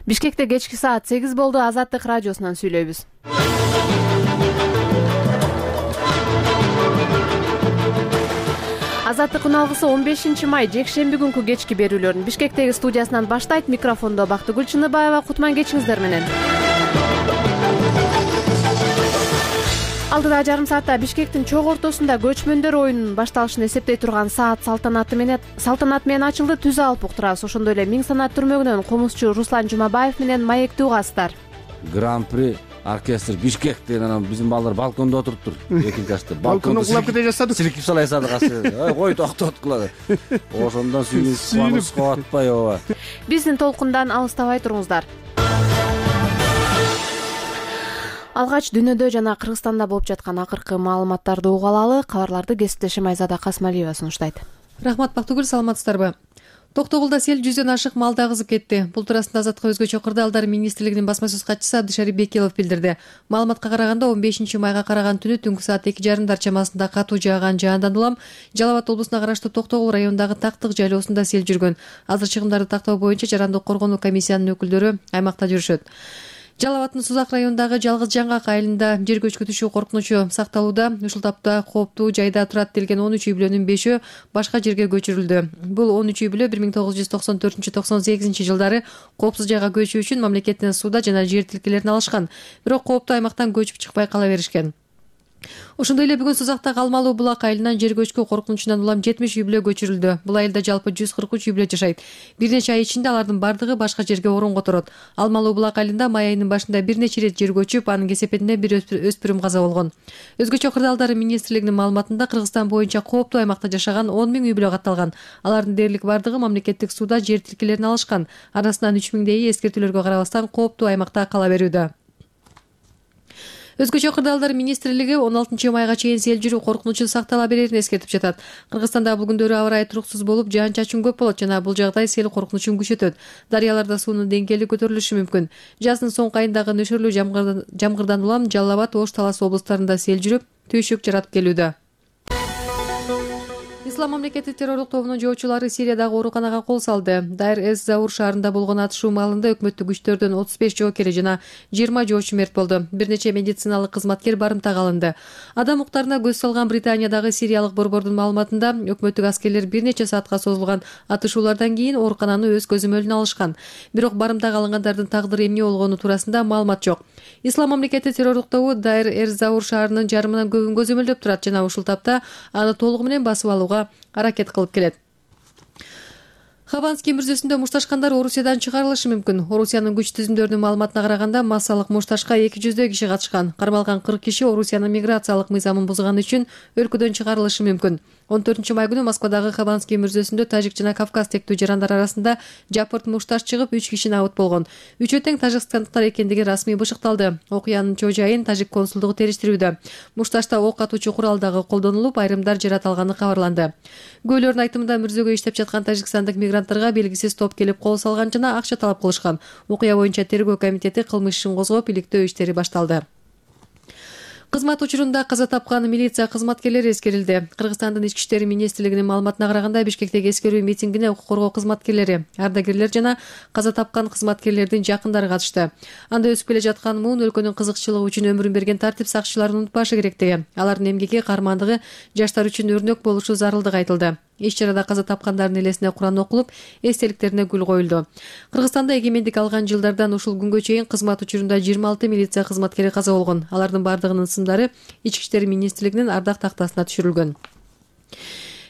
Бишкекте кечки саат 8 болду. Азаттык радиосунан сүйлөйбүз. Азаттык үналгысы 15 май жекшемби күнкү кечки берүүлөрүн Бишкектеги студиясынан баштайт. Микрофондо Бактыгүл Чыныбаева. Кутман кечиңиздер менен. Алдыда жарым саатта Бишкектин чок ортосунда көчмөндөр оюнунун башталышын эсептей турган саат салтанаты менен ачылды. Түз алып уктурабыз. Ошондой эле Миң санат түрмөгүнөн комузчу Руслан Жумабаев менен маектүү угасыздар. Гран-при оркестр Бишкек деген анан биздин балдар балкондо отуруптур. Экинчи класста балкондо кулап кете жатсадык. Силкип салай садык. Кой токтоткула. Ошондон сүйүнүп кабатпай ооба. Биздин толкундан алыстабай туруңуздар. Алгач дүйнөдө жана Кыргызстанда болуп жаткан акыркы маалыматтарды угуп алалы. Кабарларды кесиптешим Айзада Касмалиева сунуштайт. Рахмат Бактыгүл, саламатсыздарбы? Токтогулда сел 100дөн ашык малды агызып кетти. Бул туурасында Азаттыкка өзгөчө кырдаалдар министрлигинин басма сөз катчысы Абдышарип Бекилов билдирди. Маалыматка караганда 15 майга караган түнү түнкү саат 2:30 чамасында катуу жааган жаандан улам Жалал Абад облусуна караштуу Токтогул районундагы Тактык жайлоосунда сел жүргөн. Азыр чыгымдарды тактоо боюнча жарандык коргонуу комиссиянын өкүлдөрү аймакта жүрүшөт. Жалал Абаддын Сузак районундагы Жалгыз Жаңгак айылында жер көчкү түшүү коркунучу сакталууда. Ушул тапта кооптуу жайда турат делген 13 үй бүлөнүн 5-өө башка жерге көчүрүлдү. Бул 13 үй бүлө 1994-98 жылдары коопсуз жайга көчүү үчүн мамлекеттен сууда жана жер тилкелерин алышкан. Бирок кооптуу аймактан көчүп чыкпай кала беришкен. Ошондой эле бүгүн Сузактагы Алмалуу булак айылынан жер көчкү коркунучунан улам 70 үй бүлө көчүрүлдү. Бул айылда жалпы 143 үй бүлө жашайт. Бир нече ай ичинде алардын бардыгы башка жерге орун которот. Алмалуу булак айылында май айынын башында бир нече ирет жер көчүп, анын кесепетинде бир өспүрүм каза болгон. Өзгөчө кырдаалдар министрлигинин маалыматында Кыргызстан боюнча кооптуу аймакта жашаган 10 000 үй бүлө катталган. Алардын дээрлик бардыгы мамлекеттик сууда жер тилкелерин алышкан. Арасынан 3000дей эскертүүлөргө карабастан кооптуу аймакта кала берүүдө. Өзгөчө кырдаалдар министрлиги 16 майга чейин сел жүрүү коркунучу сактала берерин эскертип жатат. Кыргызстанда бул күндөрү аба ырайы туруксуз болуп, жаан-чачын көп болот жана бул жагдай сел коркунучун күчөтөт. Дарыяларда суунун деңгээли көтөрүлүшү мүмкүн. Жаздын соңку айындагы нөшөрлүү жамгырдан улам Жалал Абад, Ош, Талас облустарында сел жүрүп, түйшүк жаратып келүүдө. Ислам мамлекети террорлук тобунун жоочулары Сириядагы ооруканага кол салды. Дайр эз-Заур шаарында болгон атышуу маалында өкмөттүк күчтөрдөн 35 жоокери жана 20 жоочу мерт болду. Бир нече медициналык кызматкер барымтага алынды. Адам уктарына көз салган Британиядагы сириялык борбордун маалыматында өкмөттүк аскерлер бир нече саатка созулган атышуулардан кийин оорукананы өз көзөмөлүнө алышкан. Бирок барымтага алынгандардын тагдыры эмне болгону туурасында маалымат жок. Ислам мамлекети террорлук тобу Дайр эз-Заур шаарынын жарымынан көбүн көзөмөлдөп турат жана ушул тапта аны толугу менен басып алууга аракет кылып келет. Хабанский мырзөсүндө мушташкандар Орусиядан чыгарылышы мүмкүн. Орусиянын күч түзүмдөрүнүн маалыматына караганда массалык мушташка 200 киши катышкан. Кармалган 40 киши Орусиянын миграциялык мыйзамын бузганы үчүн өлкөдөн чыгарылышы мүмкүн. 14 май күнү Москвадагы Хабанский мырзөсүндө тажик жана Кавказ тектүү жарандар арасында жапырт мушташ чыгып 3 киши абыт болгон. Үчөө тең тажикстандыктар экендиги расмий бышыкталды. Окуянын чоо жайын тажик консулдугу териштирүүдө. Мушташта ок атуучу курал дагы колдонулуп, айрымдар жараталганы кабарланды. Күбөлөрдүн айтымында мырзөгө иштеп жаткан тажикстандык мигранттарга белгисиз топ келип кол салган жана акча талап кылышкан. Окуя боюнча тергөө комитети кылмыш ишин козгоп, иликтөө иштери башталды. Кызмат учурунда каза тапкан милиция кызматкерлери эскерилди. Кыргызстандын ички иштери министрлигинин маалыматына караганда Бишкектеги эскерүү митингине укук коргоо кызматкерлери, ардагерлер жана каза тапкан кызматкерлердин жакындары катышты. Анда өсүп келе жаткан муун өлкөнүн кызыкчылыгы үчүн өмүрүн берген тартип сакчыларын унутпашы керектиги, алардын эмгеки, кармандыгы жаштар үчүн өрнөк болушу зарылдыгы айтылды. Иш-чарада каза тапкандардын элесине Куран окулуп, эстеликтерине гүл коюлду. Кыргызстанда эгемендик алган жылдардан ушул күнгө чейин кызмат учурунда 26 милиция кызматкери каза болгон. Алардын бардыгынын сымдары Ички иштери министрлигинин ардак тактасына түшүрүлгөн.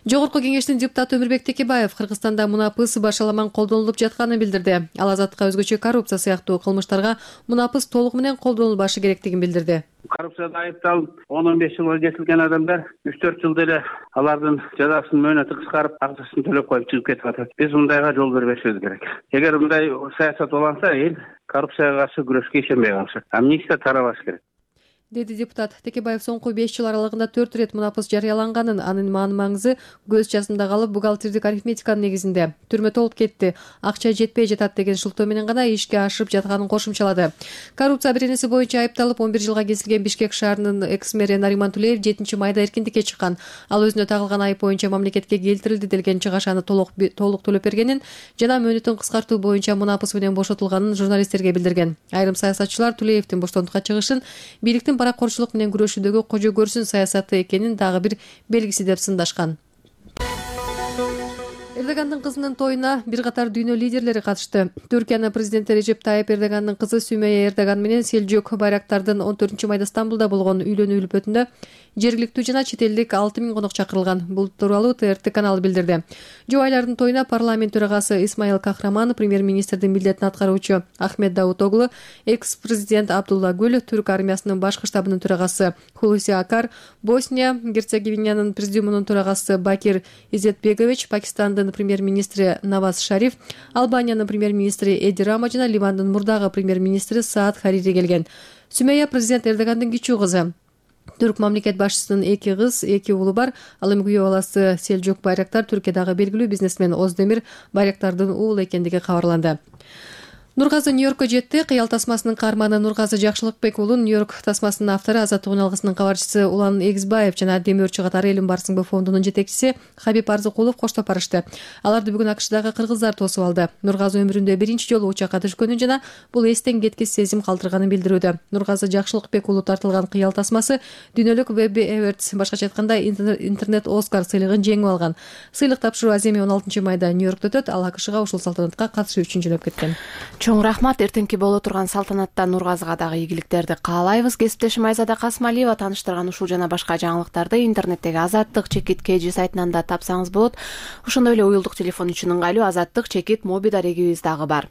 Жогорку кеңештин депутаты Өмүрбек Текебаев Кыргызстанда мунапыс башаламан колдонулуп жатканын билдирди. Ал Азаттыкка өзгөчө коррупция сыяктуу кылмыштарга мунапыс толугу менен колдонулбашы керектигин билдирди. Коррупцияда айыпталып 10-15 жылга кетилген адамдар 3-4 жылда эле алардын жазасын мөөнөтү кыскарып, акчасын төлөп коюп чыгып кетип атат. Биз мындайга жол бербешибиз керек. Эгер мындай саясат уланса, эл коррупцияга каршы күрөшкө ишенбей калышат. Амнистия тарабаш керек. деди депутат. Текебаев соңку 5 жыл аралыгында 4 ирет мунапыс жарыяланганын, анын мааны-маңызы көз жазында калып, бухгалтердик арифметиканын негизинде түрмө толуп кетти, акча жетпей жатат деген шылтоо менен гана ишке ашырып жатканын кошумчалады. Коррупция беренеси боюнча айыпталып 11 жылга кесилген Бишкек шаарынын экс-мэри Нариман Тулеев 7-майда эркиндикке чыккан. Ал өзүнө тагылган айып боюнча мамлекетке келтирилди делген чыгашаны толук төлөп бергенин жана мөөнөтүн кыскартуу боюнча мунапыс менен бошотулганын журналисттерге билдирген. Айрым саясатчылар Тулеевдин боштондукка чыгышын бийликтин паракорчулук менен күрөшүүдөгү кожо көрсүн саясаты экенин дагы бир белгиси деп сындашкан. Эрдогандын кызынын тоюна бир катар дүйнө лидерлери катышты. Түркиянын президенти Режеп Тайып Эрдогандын кызы Сүмейя Эрдоган менен Селжук Байрактардын 14-майда Стамбулда болгон үйлөнүү үлпөтүндө жергиликтүү жана чет элдик 6000 конок чакырылган. Бул тууралуу ТРТ каналы билдирди. Жубайлардын тоюна парламент төрагасы Исмаил Кахраман, премьер-министрдин милдетин аткаруучу Ахмед Давутоглу, экс-президент Абдулла Гүл, түрк армиясынын башкы штабынын төрагасы Хулуси Акар, Босния Герцеговинянын президиумунун төрагасы Бакир Изетбегович, Пакистандын премьер-министри Наваз Шариф, Албаниянын премьер-министри Эди Рама жана Ливандын мурдагы премьер-министри Саад Харири келген. Сүмейя президент Эрдогандын кичүү кызы. Түрк мамлекет башчысынын 2 кыз, 2 уулу бар. Ал эми күйөө баласы Селжук Байрактар Түркиядагы белгилүү бизнесмен Оздемир Байрактардын уулу экендиги кабарланды. Нургазы Нью-Йоркко жетти. Кыял тасмасынын каарманы Нургазы Жакшылыкбек уулу Нью-Йорк тасмасынын автору Азаттык үн алгысынын кабарчысы Улан Эгизбаев жана Демирчи катары Элим Барсыңбы фондунун жетекчиси Хабиб Арзыкулов коштоп барышты. Аларды бүгүн АКШдагы кыргыздар тосуп алды. Нургазы өмүрүндө биринчи жолу учакка түшкөнүн жана бул эстен кеткис сезим калтырганын билдирүүдө. Нургазы Жакшылыкбек уулу тартылган кыял тасмасы дүйнөлүк Webby Awards, башкача айтканда интернет Оскар сыйлыгын жеңип алган. Сыйлык тапшыруу аземи 16-майда Нью-Йоркто өтөт. Ал АКШга ушул салтанатка катышуу үчүн жөнөп кеткен. Чоң рахмат. Эртеңки боло турган салтанатта Нургазыга дагы ийгиликтерди каалайбыз. Кесиптешим Айзада Касмалиева тааныштырган ушул жана башка жаңылыктарды интернеттеги Азаттык-KG сайтынан да тапсаңыз болот. Ошондой эле уюлдук телефон үчүн ыңгайлуу Азаттык-моби дарегибиз дагы бар.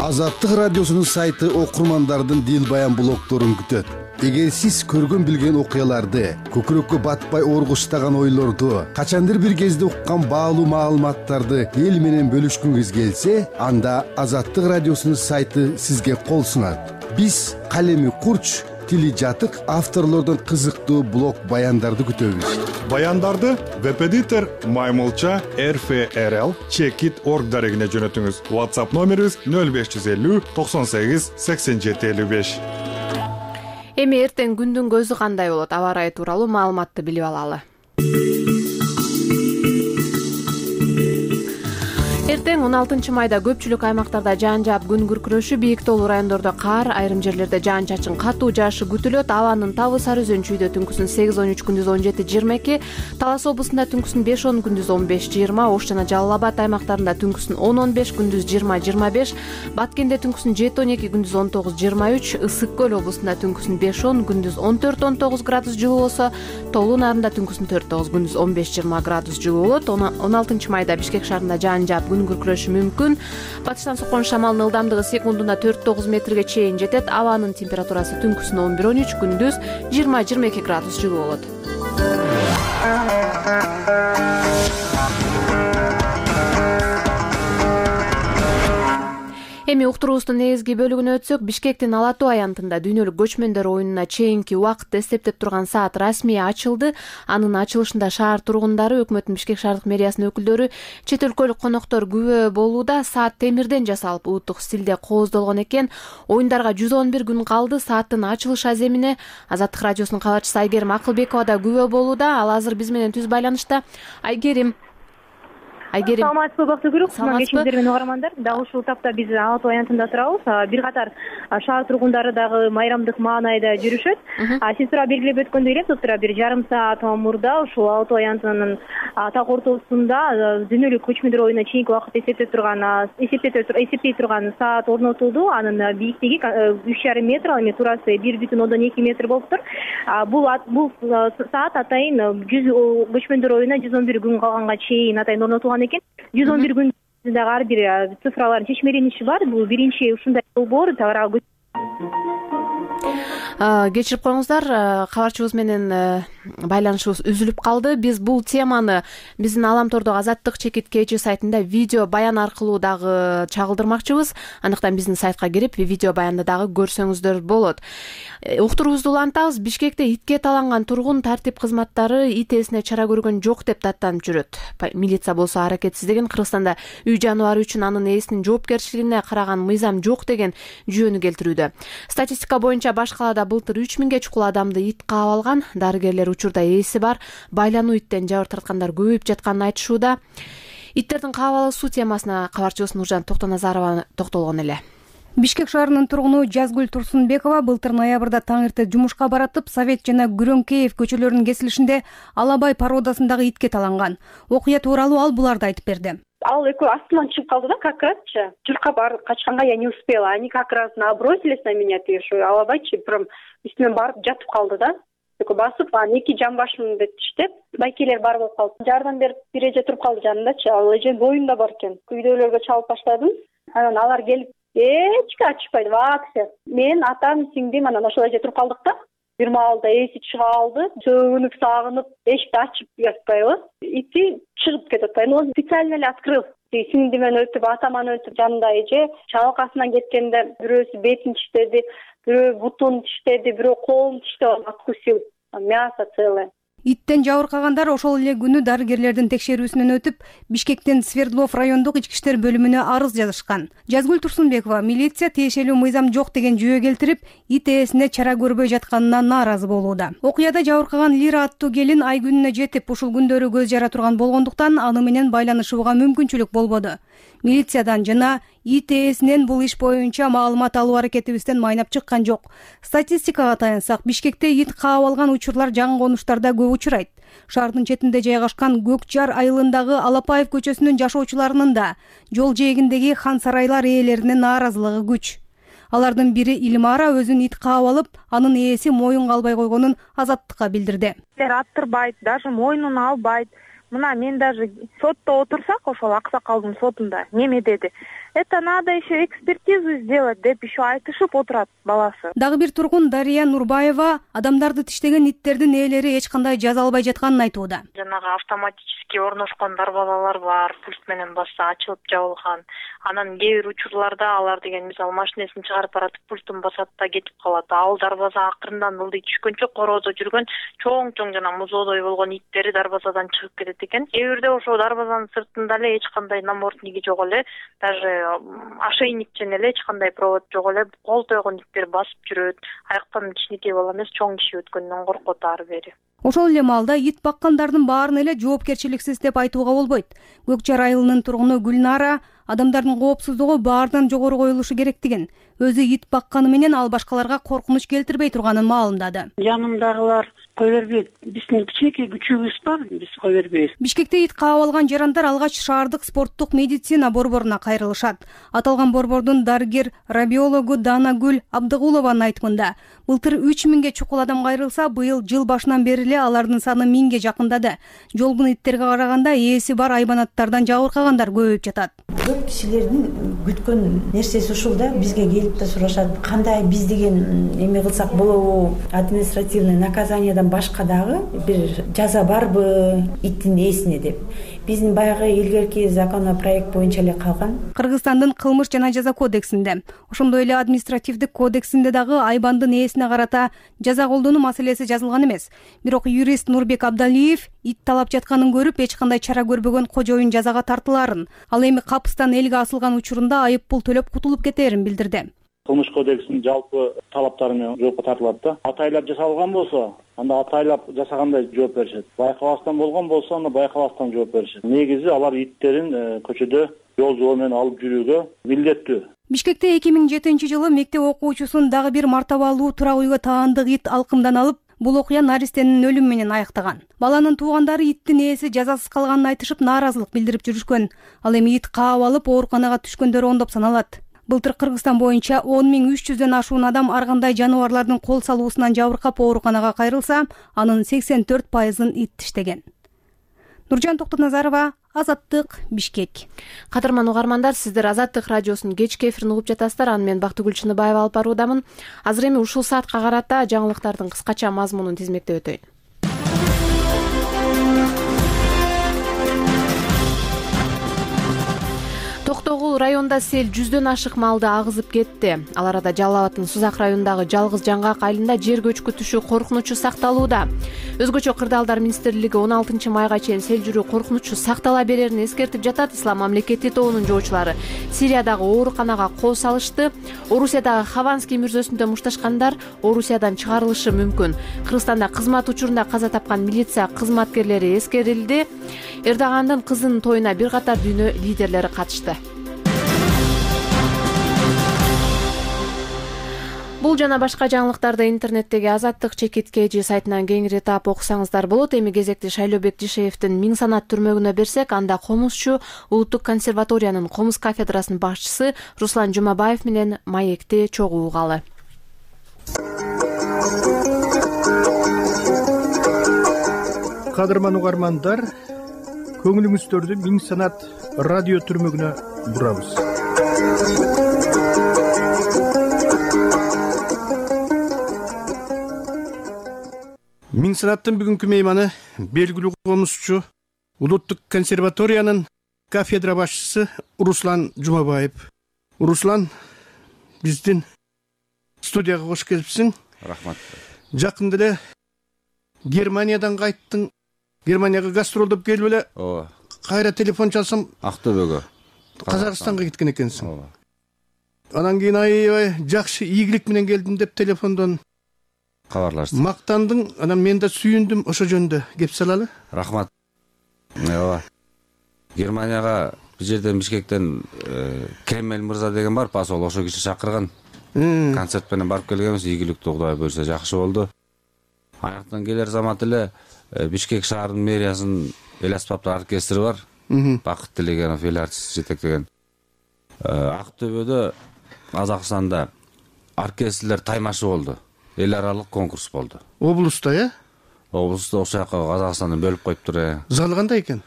Азаттык радиосунун сайты окурмандардын дил баян блогдорун күтөт. Эгер сиз көргөн билген окуяларды, көкүрөккө батпай оргуштаган ойлорду, качандыр бир кезде уккан баалуу маалыматтарды эл менен бөлүшкүңүз келсе, анда Азаттык радиосунун сайты сизге кол сунат. Биз калеми курч, тили жатык авторлордон кызыктуу блог баяндарды күтөбүз. Баяндарды веб-эдитор Маймылча RFRL Checkit.org дарегине жөнөтүңүз. WhatsApp номерибиз 0550 98 87 55. Эми эртең күндүн көзү кандай болот? Аба ырайы тууралуу маалыматты билип алалы. Эртең 16-майда көпчүлүк аймактарда жаан жаап күн күркүрөшү, бийик тоолуу райондордо кар, айрым жерлерде жаан-чачын катуу жаашы күтүлөт. Абанын табы Сары Өзөн-чүйдө түнкүсүн 8-13, күндүз 17-22, Талас облусунда түнкүсүн 5-10, күндүз 15-20, Ош жана Жалал Абад аймактарында түнкүсүн 10-15, күндүз 20-25, Баткенде түнкүсүн 7-12, күндүз 19-23, Ысык көл облусунда түнкүсүн 5-10, күндүз 14-19 градус жылуу болсо, Тоолуу Нарында түнкүсүн 4-9, күндүз 15-20 градус жылуу болот. 16-майда Бишкек шаарында жаан жаап күн күркүрөшү мүмкүн. Батыштан соккон шамалдын ылдамдыгы секундуна 4-9 метрге чейин жетет. Абанын температурасы түнкүсүн 11-13, күндүз 20-22 градус жылуу болот. Эми уктуруубуздун негизги бөлүгүнө өтсөк, Бишкектин Ала Тоо аянтында дүйнөлүк көчмөндөр оюнуна чейинки убакытты эстептеп турган саат расмий ачылды. Анын ачылышында шаар тургундары, өкмөттүн Бишкек шаардык мэриясынын өкүлдөрү, чет өлкөлүк коноктор күбө болууда. Саат темирден жасалып, улуттук стилде кооздолгон экен. Оюндарга 111 күн калды. Сааттын ачылыш аземине Азаттык радиосунун кабарчысы Айгерим Акылбекова да күбө болууда. Ал азыр биз менен түз байланышта. Айгерим. Саламатсызбы, Бактыгүл. Кечиңиздер менен угармандар. Дагы ушул тапта биз Ала Тоо аянтында турабыз. Бир катар шаар тургундары дагы майрамдык маанайда жүрүшөт. Сиз тура белгилеп өткөндөй эле, тура бир жарым саат мурда ушул Ала Тоо аянтынын так ортосунда дүйнөлүк көчмөндөр оюнуна чейинки убакытты эсептей турган саат орнотулду. Анын бийиктиги 3,5 метр, ал эми турасы 1,2 метр болуптур. Бул саат атайын көчмөндөр оюнуна 111 күн калганга чейин атайын орнотулган экен. 111 күн дагы ар бир цифралардын чечмелениши бар. Бул биринчи ушундай долбоор кечирип коюңуздар, кабарчыбыз менен байланышыбыз үзүлүп калды. Биз бул теманы биздин Аламтордогу Азаттык чекит KG сайтында видео баян аркылуу дагы чагылдырмакчыбыз. Андыктан биздин сайтка кирип видео баянды дагы көрсөңүздөр болот. Уктуруубузду улантабыз. Бишкекте итке таланган тургун тартип кызматтары ит ээсине чара көргөн жок деп даттанып жүрөт. Милиция болсо аракетсиздигин, Кыргызстанда үй жаныбары үчүн анын ээсинин жоопкерчилигине караган мыйзам жок деген жүйөнү келтирүүдө. Статистика боюнча баш калаада былтыр 3000 чукул адамды ит каап алган. Дарыгерлер учурда ээси бар байлануу иттен жабыр тарткандар көбөйүп жатканын айтышууда. Иттердин каап алуусу темасына кабарчыбыз Нуржан Токтоназарова токтолгон эле. Бишкек шаарынын тургуну Жазгүл Турсунбекова былтыр ноябрда таң эрте жумушка баратып, Совет жана Күрөңкеев көчөлөрүнүн кесилишинде Алабай породасындагы итке таланган. Окуя тууралуу ал буларды айтып берди. Ал экөө астынан чыгып калды да, как разчы. Журка барып качканга я не успела. Они как раз набросились на меня, тише. Алабайчы прям үстүнөн барып жатып калды да. Экөө басып, эки жамбашым деп тиштеп, байкелер бар болуп калды. Жардам берип бир эже туруп калды жанындачы. Ал эже боюнда бар экен. Күйдөөлөргө чалып баштадым. Анан алар келип эчке ачышпайт, вообще. Мен, атам, сиңдим, анан ошол эже туруп калдык да. Бир маалда эси чыга алды, сөгүнүп, сагынып, эшикти ачып жатпайбы. Ити чыгып кетип атпайбы. Но он специально эле открыл. Сиңдимен өтүп, атаман өтүп, жанында эже чалкасынан кеткенде бирөөсү бетин тиштеди, бирөө бутун тиштеди, бирөө колун тиштеп откусил. Мясо целое. Иттен жабыркагандар ошол эле күнү дарыгерлердин текшерүүсүнөн өтүп, Бишкектин Свердлов райондук ички иштер бөлүмүнө арыз жазышкан. Жазгүл Турсунбекова милиция тиешелүү мыйзам жок деген жүйө келтирип, ит ээсине чара көрбөй жатканына нааразы болууда. Окуяда жабыркаган Лира аттуу келин ай күнүнө жетип, ушул күндөрү көз жара турган болгондуктан аны менен байланышууга мүмкүнчүлүк болбоду. Милициядан жана ит ээсинен бул иш боюнча маалымат алуу аракетибизден майнап чыккан жок. Статистикага таянсак, Бишкекте ит каап алган учурлар жаңы конуштарда көп учурайт. Шаардын четинде жайгашкан Көк Жар айылындагы Алапаев көчөсүнүн жашоочуларынын да жол жээгиндеги хан сарайлар ээлеринин нааразылыгы күч. Алардын бири Илмара өзүн ит каап алып, анын ээси моюнга албай койгонун Азаттыкка билдирди. Аттырбайт, даже мойнуна албайт. Мына мен даже сотто отурсак, ошол аксакалдын сотунда неме деди. Это надо еще экспертизу сделать деп еще айтышып отурат баласы. Дагы бир тургун Дария Нурбаева адамдарды тиштеген иттердин ээлери эч кандай жаза албай жатканын айтууда. Жанагы автоматически орношкон дарбазалар бар, пульт менен басса ачылып жабылган. Анан кээ бир учурларда алар деген мисалы машинесин чыгарып баратып пультун басат да кетип калат. Ал дарбаза акырындан ылдый түшкөнчө короодо жүргөн чоң жана музоодой болгон иттери дарбазадан чыгып кетет экен. Кээ бирде ошо дарбазанын сыртында эле эч кандай намордниги жок эле, даже ошейниктен эле эч кандай провод жок эле, кол тойгон иттер басып жүрөт. Аяктан кичинекей бала эмес, чоң киши өткөндөн коркот ары бери. Ошол эле маалда ит баккандардын баарын эле жоопкерчиликсиз деп айтууга болбойт. Көк Жар айылынын тургуну Гүлнара адамдардын коопсуздугу баарынан жогору коюлушу керектигин, өзү ит бакканы менен ал башкаларга коркунуч келтирбей турганын маалымдады. Жанымдагылар кой бербейт. Биздин кичинекей күчүбүз бар, биз кой бербейбиз. Бишкекте ит каап алган жарандар алгач шаардык спорттук медицина борборуна кайрылышат. Аталган борбордун дарыгер рабиологу Данагүл Абдыгулованын айтымында, былтыр 3000 чукул адам кайрылса, быйыл жыл башынан бери эле алардын саны 1000 жакындады. Жолбун иттерге караганда ээси бар айбанаттардан жабыркагандар көбөйүп жатат. Көп кишилердин күткөн нерсеси ушул да, бизге келип да сурашат, кандай биз деген эме кылсак болобу, административный наказаниядан башка дагы бир жаза барбы иттин ээсине деп. Биздин баягы илгерки законопроект боюнча эле калган. Кыргызстандын кылмыш жана жаза кодексинде, ошондой эле административдик кодексинде дагы айбандын ээсине карата жаза колдонуу маселеси жазылган эмес. Бирок юрист Нурбек Абдалиев ит талап жатканын көрүп, эч кандай чара көрбөгөн кожоюн жазага тартыларын, ал эми капыстан элге асылган учурунда айып пул төлөп кутулуп кетерин билдирди. Кылмыш кодексинин жалпы талаптары менен жоопко тартылат да. Атайлап жасалган болсо, анда атайлап жасагандай жооп беришет. Байкабастан болгон болсо, анда байкабастан жооп беришет. Негизи алар иттерин көчөдө жол жол менен алып жүрүүгө милдеттүү. Бишкекте 2007-жылы мектеп окуучусун дагы бир мартабалуу турак үйгө таандык ит алкымдан алып, бул окуя наристенин өлүмү менен аяктаган. Баланын туугандары иттин ээси жазасыз калганын айтышып нааразылык билдирип жүрүшкөн. Ал эми ит каап алып ооруканага түшкөндөр ондоп саналат. Былтыр Кыргызстан боюнча 10300дөн ашуун адам ар кандай жаныбарлардын кол салуусунан жабыркап ооруканага кайрылса, анын 84%-ын ит тиштеген. Нуржан Токтоназарова, Азаттык, Бишкек. Кадырман угармандар, сиздер Азаттык радиосунун кечки эфирин угуп жатасыздар. Аны мен Бактыгүл Чыныбаева алып баруудамын. Азыр эми ушул саатка карата жаңылыктардын кыскача мазмунун тизмектеп өтөйүн. Токтогул районунда сел 100дөн ашык малды агызып кетти. Ал арада Жалал Абаддын Сузак районундагы Жалгыз Жаңгак айылында жер көчкү түшүү коркунучу сакталууда. Өзгөчө Кырдаалдар министрлиги 16 майга чейин сел жүрүү коркунучу сактала берерин эскертип жатат. Ислам мамлекети тобунун жоочулары Сириядагы ооруканага кол салышты. Орусиядагы Хованский мүрзөсүндө мушташкандар Орусиядан чыгарылышы мүмкүн. Кыргызстанда кызмат учурунда каза тапкан милиция кызматкерлери эскерилди. Эрдогандын кызынын тоюна бир катар дүйнө лидерлери катышты. Бул жана башка жаңылыктарды интернеттеги Азаттык /KG сайтынан кеңири таап окусаңыздар болот. Эми кезекти Шайлообек Дишеевдин Миң санат түрмөгүнө берсек, анда комузчу Улуттук консерваториянын комуз кафедрасынын башчысы Руслан Жумабаев менен маекти чогуу угалы. Кадырман угармандар, көңүлүңүздөрдү Миң санат радио түрмөгүнө бурабыз. Миң санаттын бүгүнкү мейманы белгилүү комузчу Улуттук консерваториянын кафедра башчысы Руслан Жумабаев. Руслан, биздин студияга кош келипсиң. Рахмат. Жакында эле Германиядан кайттың. Германияга гастролдоп келип эле. Ооба. Кайра телефон чалсам, Актөбөгө, Казакстанга кеткен экенсиң. Ооба. Анан кийин аябай жакшы ийгилик менен келдим деп телефондон кабарлашты. Мактандың, анан мен да сүйүндүм. Ошо жөнүндө кеп салалы. Рахмат. Ооба. Германияга бул жерден Бишкектен Кремель мырза деген бар, посол, ошо киши чакырган. Концерт менен барып келгенбиз, ийгиликтүү Кудай буйрса жакшы болду. Аяктан келер замат эле Бишкек шаарынын мэриясынын эл аспаптар оркестри бар. Бакыт Тилегенов эл артист жетектеген. Актөбөдө, Казакстанда оркестрлер таймашы болду. Эл аралык конкурс болду. Облуста, Облуста ошол жака Казакстанды бөлүп коюптур. Залы кандай экен?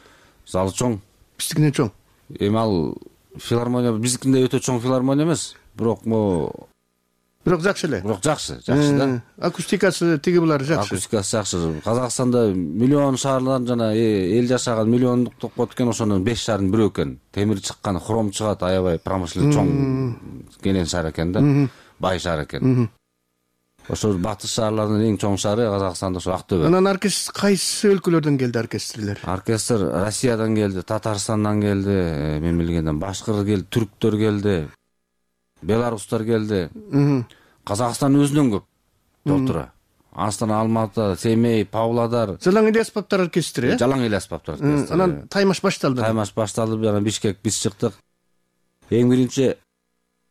Залы чоң. Биздикинен чоң. Эми ал филармония, биздикинде өтө чоң филармония эмес, бирок жакшы эле. Жакшы да. Акустикасы тиги булар жакшы. Акустикасы жакшы. Казакстанда миллион шаарлар жана эл жашаган миллиондук топ экен, ошонун 5 шаардын бирөө экен. Темир чыккан, хром чыгат, аябай промышленно чоң кенен шаар экен да. Бай шаар экен. Ошо батыш шаарлардын эң чоң шаары Казакстанда ошо Актөбө. Анан оркестр кайсы өлкөлөрдөн келди оркестрлер? Оркестр Россиядан келди, Татарстандан келди, мен билгенден башкыр келди, түрктөр келди, беларустар келди. Казакстан өзүнөн көп толтура. Астана, Алматы, Семей, Павлодар. Жалаң эле аспаптар оркестри, Жалаң эле аспаптар оркестри. Анан таймаш башталды. Таймаш башталды, анан Бишкек биз чыктык. Эң биринчи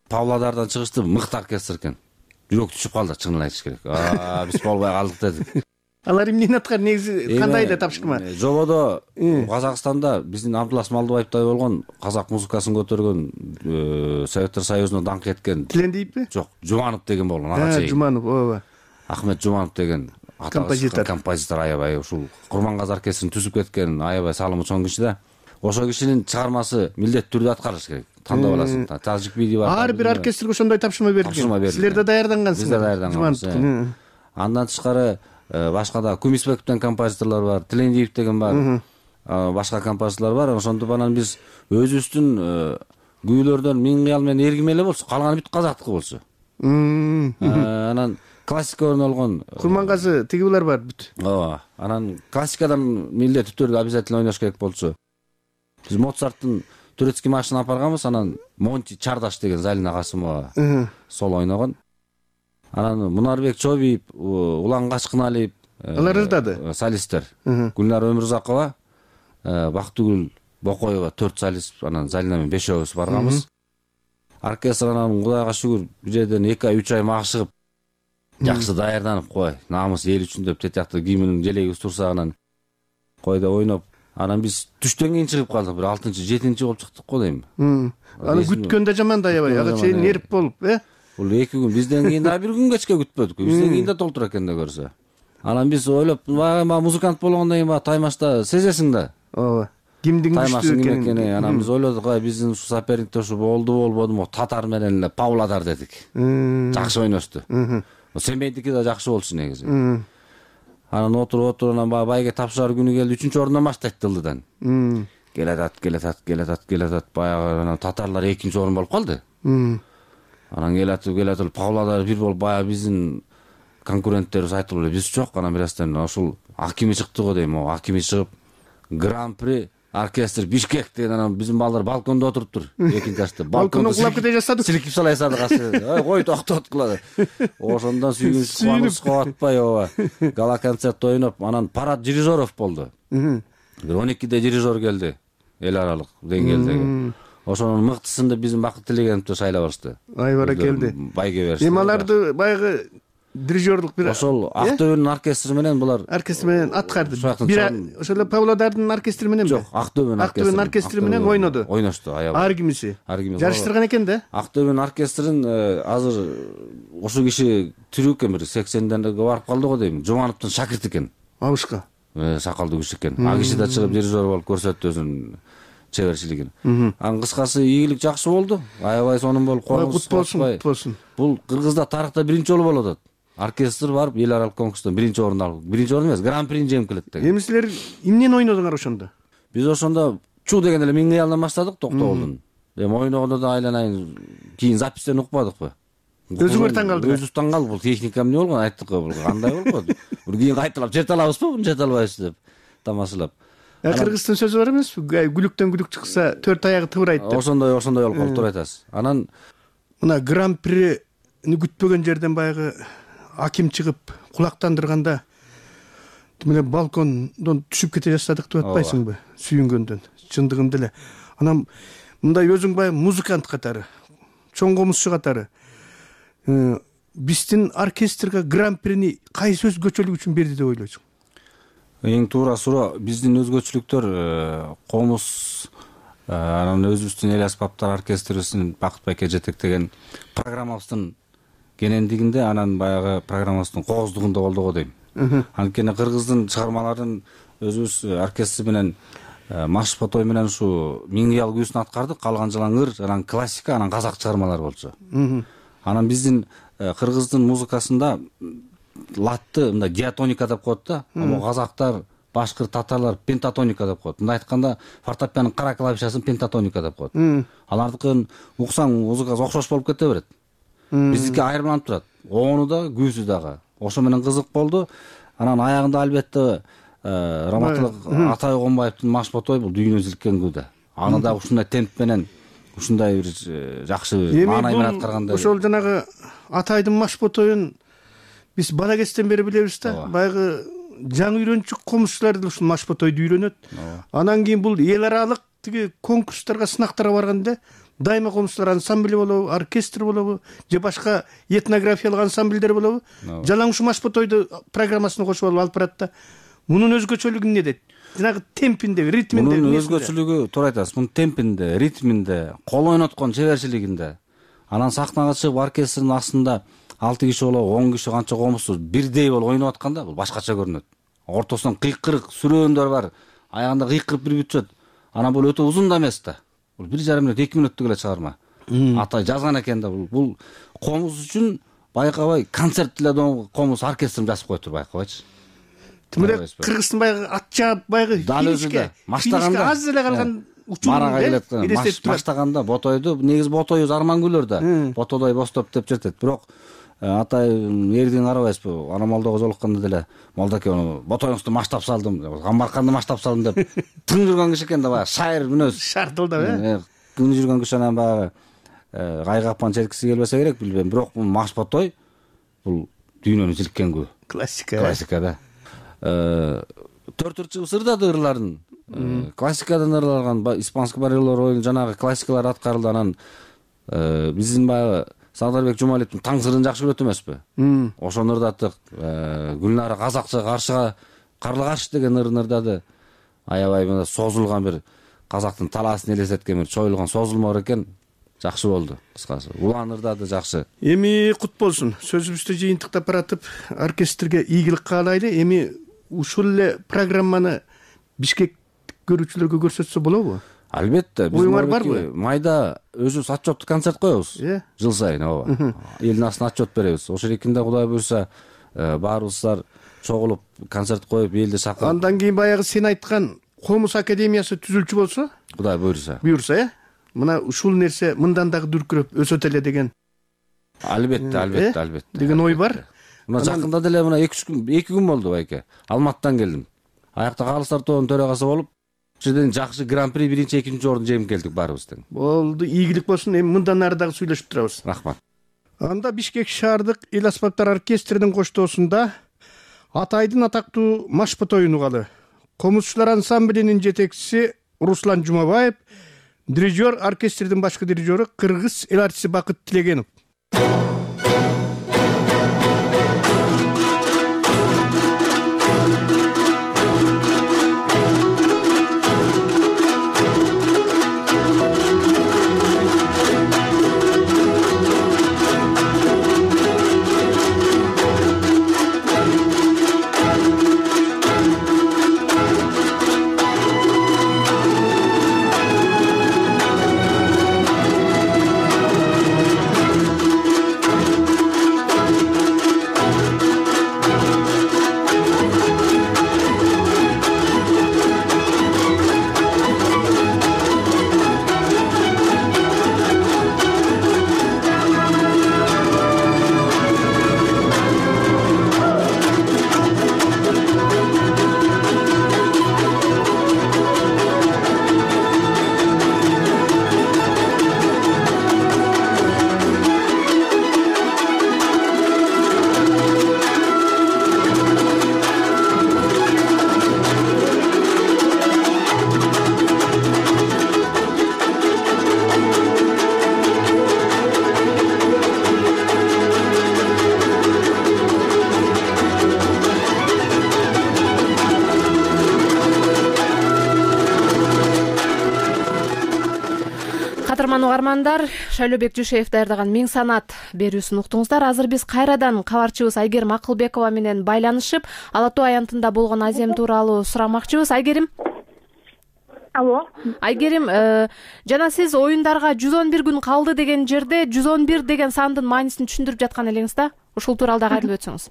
Павлодардан чыгышты мыкты оркестр экен. Жүрөк түшүп калды, чынын айтыш керек. Биз болбой калдык дедик. Алар эмнени аткан, негизи кандай да тапшырма? Жободо Казакстанда биздин Абдулас Малдыбаевтай болгон казак музыкасын көтөргөн, Советтер Союзуна даңк эткен. Тилендиевби? Жок, Жуманов деген болгон, ага чейин. Жуманов, ооба. Ахмет Жуманов деген композитор аябай ушул Курмангаз оркестрин түзүп кеткен, аябай салымы чоң киши да. Ошол кишинин чыгармасы милдеттүү түрдө аткарылыш керек. Тандап аласың. Тажик биди бар. Ар бир оркестрге ошондой тапшырма берилген. Силер да даярдангансыңар. Биз да даярдангансыз. Андан тышкары башка да Кумисбековден композиторлор бар, Тилендиев деген бар. Башка композиторлор бар. Ошондо анан биз өзүбүздүн күүлөрдөн Миң кыял менен Эргим эле болсо, калганы бүт казактыкы болсо. Анан классика ойнолгон Курмангазы тигибилер бар бүт. Ооба. Анан классикадан милдеттүү түрдө обязательно ойнош керек болчу. Биз Моцарттын Турецкий маршын апарганбыз, анан Монти Чардаш деген Залина Касымова сол ойногон. Анан Мунарбек Чобиев, Улан Качкыналиев, алар ырдады. Солисттер. Гүлнар Өмүрзакова, Бактыгүл Бокоева 4 солист, анан Залина менен 5-өөбүз барганбыз. Оркестр анан Кудайга шүгүр бир жерден 2-3 ай магышыгып жакшы даярданып кой, намыс эл үчүн деп тетиякты кийиминин желегибиз турса анан койдо ойноп. Анан биз түштөн кийин чыгып калдык, бир 6-7 болуп чыктык го дейм. Аны күткөн да жаман да аябай, ага чейин нерв болуп, Бул 2 күн, бизден кийин да 1 күн кечке күтпөдүк. Бизден кийин да толтура экен да көрсө. Анан биз ойлоп, музыкант болгондон кийин таймашта сезесиң да. Ооба. Кимдин күчтүү экенин. Анан биз ойлодук, биздин ушу соперниктер ушу болбодуму, Татар менен эле Павлодар дедик. Жакшы ойношту. Семейдики да жакшы болчу негизи. Анан отуруп анан байге тапшырар күнү келди, 3-ордон баштайт Дылдыдан. келатат баягы татарлар экинчи орун болуп калды. Анан келатып Павлодар бир болуп баягы биздин конкуренттерибиз айтып эле биз жок. Анан бирастан ушул Акими чыкты го дейм. Акими чыгып Гран-при оркестр Бишкек деген анан биздин балдар балкондо отуруптур. Экинчи этажда балкондо кулап кете жаздык. Силикип салай садык асы. Кой токтот кылады. Ошондон сүйгүнүп кубанычка атпай ооба. Гала концерт ойноп, анан Парад Дирижеров болду. Бир 12-де дирижер келди. Эл аралык деңгээлдеги. Ошонун мыктысында биздин Бакыт Тилегеновду шайлап алышты. Ай баракелди. Байге беришти. Эми аларды баягы дирижерлук бир ошол Актөбөнүн оркестри менен булар аткарды. Бир ошол Павлодардын оркестри менен жок, Актөбөнүн оркестри менен ойноду. Ойношту, аябай. Ар кимиси. Жарыштырган экен да. Актөбөнүн оркестрин азыр ошол киши тирүү экен, бир 80-дерге барып калды го дейм. Жумановдун шакирти экен. Абышка. Сакалдуу киши экен. А киши да чыгып дирижер болуп көрсөттү өзүнүн чеберчилигин. Анын кыскасы ийгилик жакшы болду. Аябай сонун болуп кут болсун. Бул Кыргызда тарыхта биринчи жолу болуп атат. Оркестр барып эл аралык конкурстон биринчи орун алып, биринчи орун эмес, Гран-прини жеңип келет деген. Эми силер эмнени ойнодуңар ошондо? Биз ошондо чуу деген эле Миң кыялдан баштадык Токтогулдун. Эми ойногондо да айланайын, кийин запистен укпадыкпы? Өзүңөр таң калдыңар. Өзүбүз таң калдык, бул техника эмне болгон, айттык го, бул кандай болуп калды? Бир кийин кайталап жете алабызбы, муну жете албайбызбы деп тамашалап. Кыргыздын сөзү бар эмеспи? Гүлүктөн гүлүк чыкса, төрт аягы тыбырайт деп. Ошондой болуп калды, туура айтасыз. Анан мына Гран-прини күтпөгөн жерден баягы Аким чыгып кулактандырганда мына балкондон түшүп кете жаздык деп атпайсыңбы? Сүйүнгөндөн, чындыгында эле. Анан мындай өзүң баягы музыкант катары, чоң комузчу катары биздин оркестрге Гран-прини кайсы өзгөчөлүк үчүн берди деп ойлойсуң? Эң туура суроо, биздин өзгөчөлүктөр комуз, анан өзүбүздүн эл аспаптар оркестрибиздин Бакыт байке жетектеген программабыздын кенендигинде, анан баягы программабыздын кооздугунда болду го дейм. Анткени Кыргыздын чыгармаларын өзүбүз оркестр менен Машпотой менен ушу Миң кыял күүсүн аткардык, калган жалаң ыр, анан классика, анан казак чыгармалары болчу. Анан биздин Кыргыздын музыкасында латты мындай диатоника деп коет да, ал казактар, башкырт, татарлар пентатоника деп коет. Мындай айтканда фортепианонун кара клавишасын пентатоника деп коет. Алардыкын уксаң музыкасы окшош болуп кете берет. Биздики айырмаланып турат. Ону да, күүсү дагы. Ошо менен кызык болду. Анан аягында албетте Раматылык Атай Гомбаевдин Машпотой бул дүйнө зилккен күү да. Аны да ушундай темп менен, ушундай бир жакшы маанай менен аткарганда. Ошол жанагы Атайдын Машпотоюн биз бала кезден бери билебиз да. Баягы жаңы үйрөнчүк комузчулар деле ушул Машпотойду үйрөнөт. Анан кийин бул эл аралык тиги конкурстарга, сынактарга барганда дайыма комузчулар ансамбли болобу, оркестр болобу, же башка этнографиялык ансамбльдер болобу, жалаң ушу Машпотойду программасына кошуп алып барат да. Мунун өзгөчөлүгү эмнеде? Жанагы темпинде, ритминде. Мунун өзгөчөлүгү туура айтасыз. Мунун темпинде, ритминде, кол ойноткон чеберчилигинде. Анан сахнага чыгып оркестрдин астында 6 киши болобу, 10 киши канча комузсуз бирдей болуп ойноп атканда бул башкача көрүнөт. Ортосунан кыйкырык сүрөөндөр бар, аягында кыйкырып бир бүтөт. Анан бул өтө узун да эмес да. Бул 1,5 мүнөт, 2 мүнөттүк эле чыгарма. Атай жазган экен да, бул комуз үчүн байкабай концерт эле комуз оркестрин жазып коюптур, байкабайчы. Тимиле Кыргыздын баягы ат жаап баягы финишке аз эле калган Марага келет. Баштаганда Ботойду, негизи Ботойубуз Армангүлөр да. Ботодой бостоп деп жетет. Бирок Атай эрдин карабайсызбы? Ана молдого жолукканда деле молдоке Ботоюңузду маштап салдым, Камбарканды маштап салдым деп тың жүргөн киши экен да, баягы шайыр мүнөз. Шартылдап, күн жүргөн киши анан баягы кайгапан четкиси келбесе керек, билбейм. Бирок бул Машпотой бул дүйнөнү зилккен күү. Классика да. Төрт ырчыбыз ырдады ырларын. Классикадан ырлаган испанский бареллар ойын жанагы классикалар аткарылды. Анан биздин баягы Сагдарбек Жумалиевдин Таң сырын жакшы көрөт эмеспи? Ошону ырдаттык. Гүлнара казакча каршыга карлы каршы деген ырын ырдады. Аябай мына созулган бир казактын талаасын элестеткен бир чоюлган созулма экен. Жакшы болду, кыскасы. Улан ырдады жакшы. Эми кут болсун. Сөзүбүздү жыйынтыктап баратып, оркестрге ийгилик каалайлы. Эми ушул эле программаны Бишкек көрүүчүлөргө көрсөтсө болобу? Албетте. Биз майда өзүбүз отчеттук концерт коебуз. Жыл сайын, ооба. Элдин астына отчет беребиз. Ошол эркинде Кудай буйрса, баарыбыздар чогулуп концерт коюп, элди чакырып. Андан кийин баягы сен айткан комуз академиясы түзүлчү болсо, Кудай буйруса, мына ушул нерсе мындан дагы дүркүрөп өсөт эле деген. Албетте. Деген ой бар. Мына жакында деле мына 2 күн болду байке. Алматыдан келдим. Аякта калыстар тобунун төрагасы болуп, ушул жерден жакшы гран-при 1-2 орун жеңип келдик баарыбыз тең. Болду, ийгилик болсун. Эми мындан ары дагы сүйлөшүп турабыз. Рахмат. Анда Бишкек шаардык эл аспаптар оркестринин коштоосунда Атайдын атактуу Машпотоюн угалы. Комузчулар ансамблинин жетекчиси Руслан Жумабаев, дирижер, оркестрдин башкы дирижеру кыргыз эл артисти Бакыт Тилегенов. Кадырман угармандар, Шайлообек Жушеев даярдаган Миң санат берүүсүн уктуңуздар. Азыр биз кайрадан кабарчыбыз Айгерим Акылбекова менен байланышып, Ала Тоо аянтында болгон азем тууралуу сурамакчыбыз. Айгерим. Алло. Айгерим, жана сиз оюндарга 111 күн калды деген жерде 111 деген сандын маанисин түшүндүрүп жаткан элеңиз да? Ушул тууралуу дагы айтып өтсөңүз.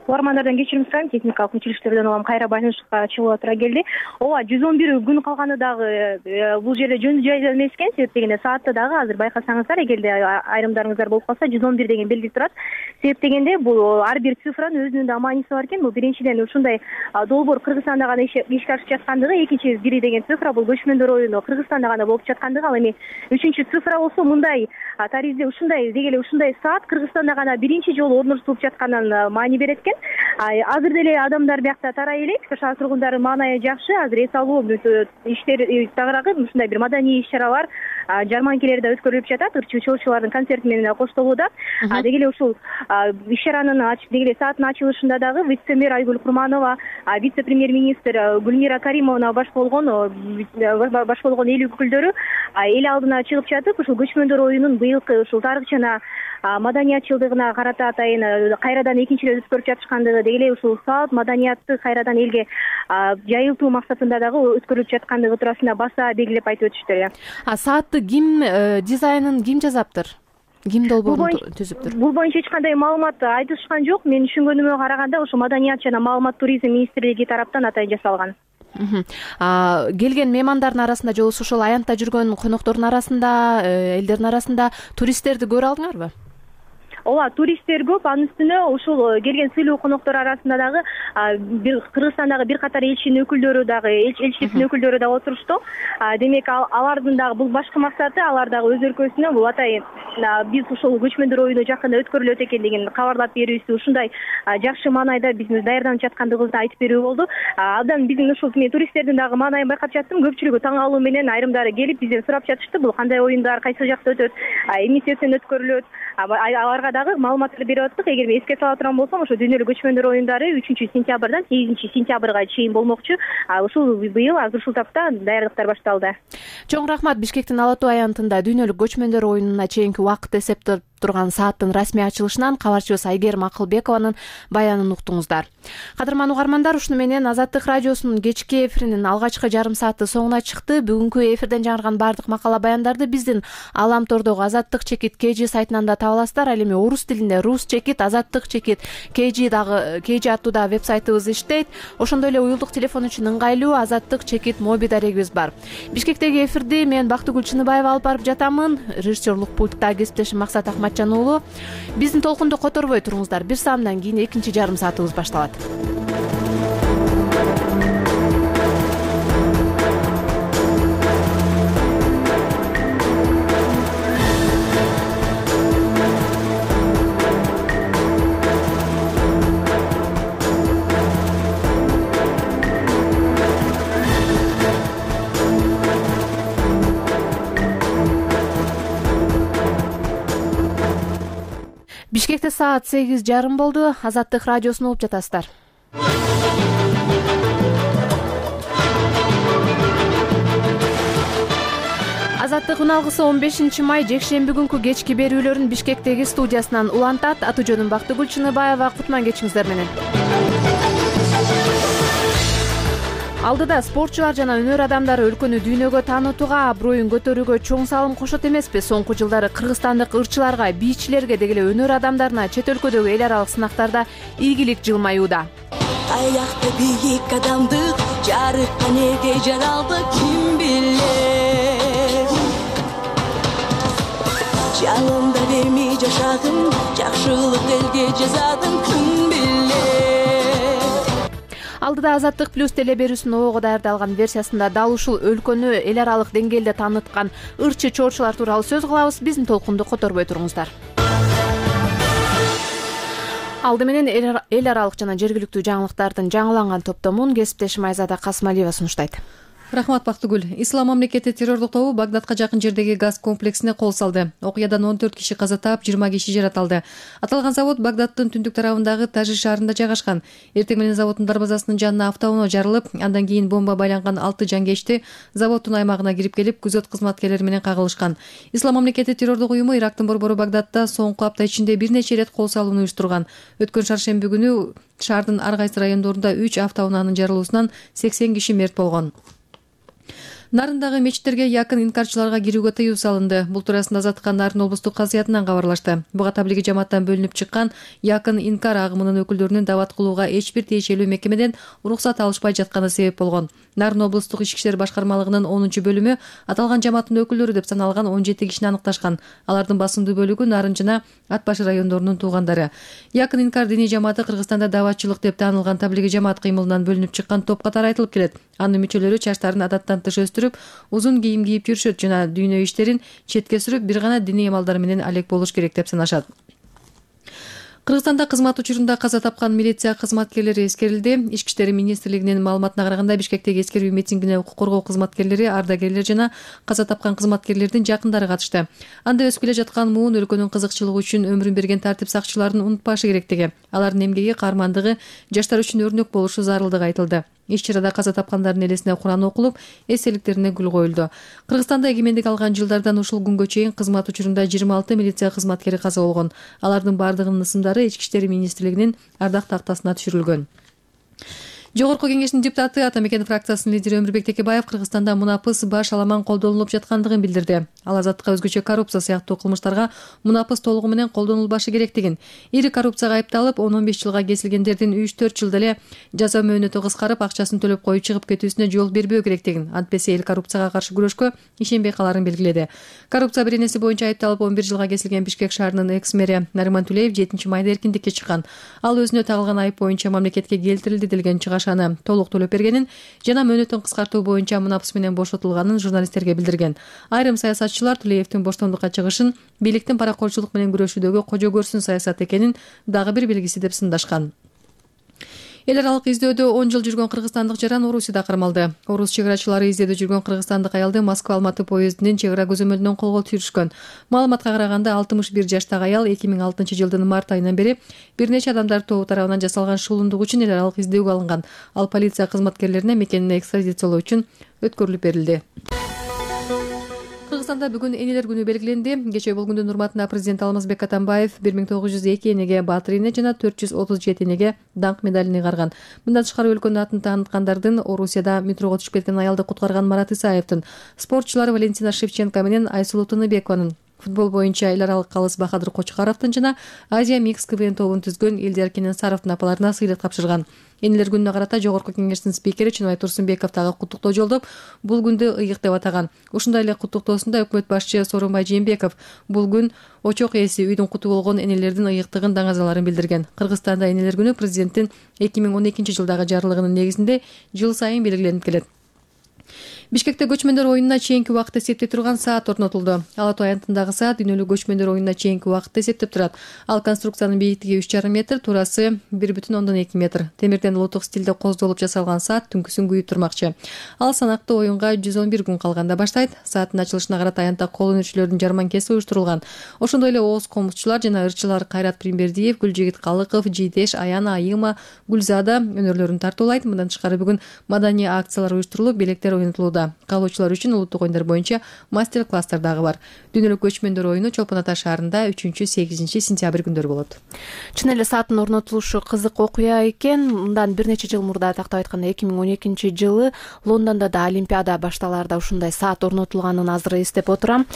Угармандардан кечирим сурайм, техникалык мүчүлүктөрдөн улам кайра байланышка чыгууга туура келди. Ооба, 111 күн калганы дагы бул жерде жөн жайда эмес экен. Себеп дегенде саатта дагы азыр байкасаңыздар, эгерде айрымдарыңыздар болуп калса 111 деген белги турат. Себеп дегенде бул ар бир цифранын өзүнүн да мааниси бар экен. Бул биринчиден ушундай долбоор Кыргызстанда гана ишке ашып жаткандыгы, экинчи бири деген цифра бул көчмөндөр оюну Кыргызстанда гана болуп жаткандыгы, ал эми үчүнчү цифра болсо мындай таризде ушундай деги эле ушундай саат Кыргызстанда гана биринчи жолу орнотулуп жатканын маани берет экен. Азыр деле адамдар биякта тарай элек, шаар тургундары маанайы жакшы. Азыр эс алуу иштери тагыраагы ушундай бир маданий иш-чаралар, жарманкелер да өткөрүлүп жатат. Ырчы чоочулардын концерти менен коштолууда. Деги эле ушул иш-чаранын деги эле сааттын ачылышында дагы вице-мэр Айгүл Курманова, вице-премьер-министр Гүлмира Каримовна баш болгон эл өкүлдөрү эл алдына чыгып жатып, ушул көчмөндөр оюнун быйылкы ушул тарыхчана маданият жылдыгына карата атайын кайрадан экинчи ирет өткөрүп жатышкандыгы, деги эле ушул саат маданиятты кайрадан элге жайылтуу максатында дагы өткөрүлүп жаткандыгы туурасында баса белгилеп айтып өтүштүр. Саатты ким дизайнын ким жазаптыр? Ким долбоорун түзүптүр? Бул боюнча эч кандай маалымат айтышкан жок. Мен түшүнгөнүмө караганда ошо Маданият жана маалымат туризм министрлиги тараптан атайын жасалган. Келген меймандардын арасында же ошол аянтта жүргөн коноктордун арасында, элдердин арасында туристтерди көрө алдыңарбы? Ооба, туристтер көп. Анын үстүнө ушул келген сыйлуу коноктор арасында дагы Кыргызстандагы бир катар элчинин өкүлдөрү дагы, элчиликтин өкүлдөрү дагы отурушту. Демек, алардын дагы бул башкы максаты, алар дагы өз өлкөсүнө бул атайын биз ушул көчмөндөр оюну жакында өткөрүлөт экендигин кабарлап берүүсү, ушундай жакшы маанайда биздин даярданып жаткандыгыбызды айтып берүү болду. Абдан биздин ушул туристтердин дагы маанайын байкап жаттым. Көпчүлүгү таң калуу менен айрымдары келип бизден сурап жатышты. Бул кандай оюндар, кайсы жакта өтөт, эмне себептен өткөрүлөт. Аларга дагы маалыматтарды берип аттык. Эгер эске сала турган болсом, ошо дүйнөлүк көчмөндөр оюндары 3-сентябрдан 8-сентябрга чейин болмокчу. Ушул быйыл азыр ушул тапта даярдыктар башталды. Чоң рахмат. Бишкектин Ала Тоо аянтында дүйнөлүк көчмөндөр оюнуна чейинки убакыт турган сааттын расмий ачылышынан кабарчыбыз Айгерим Акылбекованын баянын уктуңуздар. Кадырман угармандар, ушуну менен Азаттык радиосунун кечки эфиринин алгачкы жарым сааты соңуна чыкты. Бүгүнкү эфирден жаңырган бардык макала баяндарды биздин Аламтордогу Азаттык чекит KG сайтынан да таба аласыздар. Ал эми орус тилинде Рус чекит, Азаттык чекит KG аттуу да веб-сайтыбыз иштейт. Ошондой эле уюлдук телефон үчүн ыңгайлуу Азаттык чекит моби дарегибиз бар. Бишкектеги эфирди мен Бактыгүл Чыныбаева алып барып жатамын. Режиссерлук пультта кесиптешим Максат Акматжан уулу. Биздин толкунду которбой туруңуздар. Бир саамдан кийин экинчи жарым саатыбыз башталат. Бишкекте саат 8:30 болду. Азаттык радиосун угуп жатасыздар. Азаттык үналгысы 15 май жекшемби күнкү кечки берүүлөрүн Бишкектеги студиясынан улантат. Аты жөнүм Бактыгүл Чыныбаева. Кутман кечиңиздер менен. Алдыда спортчулар жана өнөр адамдары өлкөнү дүйнөгө таанытууга, аброюн көтөрүүгө чоң салым кошот эмеспи? Соңку жылдары кыргызстандык ырчыларга, бийчилерге деги эле өнөр адамдарына чет өлкөдөгү эл аралык сынактарда ийгилик жылмаюуда. Аякта бийик адамдык жарыкка неге жаралды ким билет? Жанымда бермей жашадым, жакшылык элге жазадым ким билет? Алдыда Азаттык плюс теле берүүсүнүн обого даярдалган версиясында дал ушул өлкөнү эл аралык деңгээлде тааныткан ырчы чоорчулар тууралуу сөз кылабыз. Биздин толкунду которбой туруңуздар. Алды менен эл аралык жана жергиликтүү жаңылыктардын жаңыланган топтомун кесиптешим Айзада Касымалиева сунуштайт. Рахмат Бактыгүл. Ислам мамлекети террордук тобу Багдадка жакын жердеги газ комплексине кол салды. Окуядан 14 киши каза таап, 20 киши жаратылды. Аталган завод Багдадтын түндүк тарабындагы Тажи шаарында жайгашкан. Эртең менен заводдун дарбазасынын жанына автоуноо жарылып, андан кийин бомба байланган 6 жангечти заводдун аймагына кирип келип, күзөт кызматкерлери менен кагылышкан. Ислам мамлекети террордук уюму Ирактын борбору Багдадта соңку апта ичинде бир нече ирет кол салууну уюштурган. Өткөн шаршемби күнү шаардын ар кайсы райондорунда 3 автоунаанын жарылуусунан 80 киши мерт болгон. Нарындагы мечиттерге якын инкарчыларга кирүүгө тыюу салынды. Бул туурасында Азаттыкка Нарын облустук казыятынан кабарлашты. Буга таблиги жамааттан бөлүнүп чыккан якын инкар агымынын өкүлдөрүнүн дават кылууга эч бир тиешелүү мекемеден уруксат алышпай жатканы себеп болгон. Нарын облустук ички иштер башкармалыгынын 10-бөлүмү аталган жамааттын өкүлдөрү деп саналган 17 кишини аныкташкан. Алардын басымдуу бөлүгү Нарын жана Ат башы райондорунун туугандары. Якын инкар диний жамааты Кыргызстанда даватчылык деп таанылган таблиги жамаат кыймылынан бөлүнүп чыккан топ катары айтылып келет. Анын мүчөлөрү чачтарын адаттан тыш өстүрүп, узун кийим кийип жүрүшөт жана дүйнө иштерин четке сүрүп, бир гана диний амалдар менен алек болуш керек деп санашат. Кыргызстанда кызмат учурунда каза тапкан милиция кызматкерлери эскерилди. Ички иштер министрлигинин маалыматына караганда, Бишкектеги эскерүү митингине укук коргоо кызматкерлери, ардагерлер жана каза тапкан кызматкерлердин жакындары катышты. Анда өсүп келе жаткан муун өлкөнүн кызыкчылыгы үчүн өмүрүн берген тартип сакчыларын унутпашы керектиги, алардын эмгеги, каармандыгы жаштар үчүн өрнөк болушу зарылдыгы айтылды. Иш-чарада каза тапкандардын элесине Куран окулуп, эстеликтерине гүл коюлду. Кыргызстанда эгемендик алган жылдардан ушул күнгө чейин кызмат учурунда 26 милиция кызматкери каза болгон. Алардын бардыгынын ысымдары Ички иштер министрлигинин ардак тактасына түшүрүлгөн. Жогорку кеңештин депутаты Атамекен фракциясынын лидери Өмүрбек Текебаев Кыргызстанда мунапыс баш аламан колдонулуп жаткандыгын билдирди. Ал Азаттыкка өзгөчө коррупция сыяктуу кылмыштарга мунапыс толугу менен колдонулбашы керектигин, ири коррупцияга айыпталып 10-15 жылга кесилгендердин 3-4 жылда эле жаза мөөнөтү кыскарып, акчасын төлөп коюп чыгып кетүүсүнө жол бербөө керектигин, антпесе эл коррупцияга каршы күрөшкө ишенбей каларын белгиледи. Коррупция беренеси боюнча айыпталып 11 жылга кесилген Бишкек шаарынын экс-мэри Нариман Тулеев 7 майда эркиндикке чыккан. Ал өзүнө тагылган айып боюнча мамлекетке келтирилди делген чыгашаны толук төлөп бергенин жана мөөнөтүн кыскартуу боюнча мунапыс менен бошотулганын журналисттерге билдирген. Айрым саясатчылар Тулеевдин боштондукка чыгышын бийликтин паракорчулук менен күрөшүүдөгү кожо көрсүн саясат экенин дагы бир белгиси деп сындашкан. Эл аралык издөөдө 10 жыл жүргөн кыргызстандык жаран Орусияда кармалды. Орус чегарачылары издөөдө жүргөн кыргызстандык аялды Москва-Алматы поездинин чегара көзөмөлүнөн колго түшүрүшкөн. Маалыматка караганда 61 жаштагы аял 2006 жылдын март айынан бери бир нече адамдар тобу тарабынан жасалган шуулундук үчүн эл аралык издөөгө алынган. Ал полиция кызматкерлерине мекенине экстрадициялоо үчүн өткөрүлүп берилди. Кыргызстанда бүгүн энелер күнү белгиленди. Кечээ бул күндүн урматына президент Алмазбек Атамбаев 1902 энеге баатыр эне жана 437 энеге даңк медалин ыйгарган. Мындан тышкары өлкөнүн атын тааныткандардын Орусияда метрого түшүп кеткен аялды куткарган Марат Исаевдин, спортчулар Валентина Шевченко менен Айсулуу Тыныбекованын, футбол боюнча эл аралык калыс Бахадыр Кочкаровдун жана Азия Микс КВН тобун түзгөн Элдияр Кененсаровдун апаларына сыйлык тапшырган. Энелер күнүнө карата Жогорку Кеңештин спикери Чыныбай Турсунбеков дагы куттуктоо жолдоп, бул күндү ыйык деп атаган. Ушундай эле куттуктоосунда өкмөт башчы Сооронбай Жээнбеков бул күн очок ээси үйдүн куту болгон энелердин ыйыктыгын даңазаларын билдирген. Кыргызстанда энелер күнү президенттин 2012 жылдагы жарлыгынын негизинде жыл сайын белгиленип келет. Бишкекте көчмөндөр оюнуна чейинки убакытты эсептей турган саат орнотулду. Ала Тоо аянтындагы саат дүйнөлүк көчмөндөр оюнуна чейинки убакытты эсептеп турат. Ал конструкциянын бийиктиги 3,5 метр, туурасы 1,2 метр. Темирден улуттук стилде коздолуп жасалган саат түнкүсүн күйүп турмакчы. Ал санактуу оюнга 111 күн калганда баштайт. Сааттын ачылышына карата аянтта кол өнөрчүлөрдүн жарманкеси уюштурулган. Ошондой эле ооз комузчулар жана ырчылар Кайрат Примбердиев, Гүлжигит Калыков, Жийдеш, Аяна, Айыма, Гүлзада өнөрлөрүн тартуулайт. Мындан тышкары бүгүн маданий акциялар уюштурулуп, белектер оюнутулууда. Каалоочулар үчүн улуттук оюндар боюнча мастер-класстар дагы бар. Дүйнөлүк көчмөндөр оюну Чолпон Ата шаарында 3-8 сентябрь күндөрү болот. Чын эле сааттын орнотулушу кызык окуя экен. Мындан бир нече жыл мурда, тактап айтканда 2012 жылы Лондондо да Олимпиада башталаарда ушундай саат орнотулганын азыр эстеп отурам.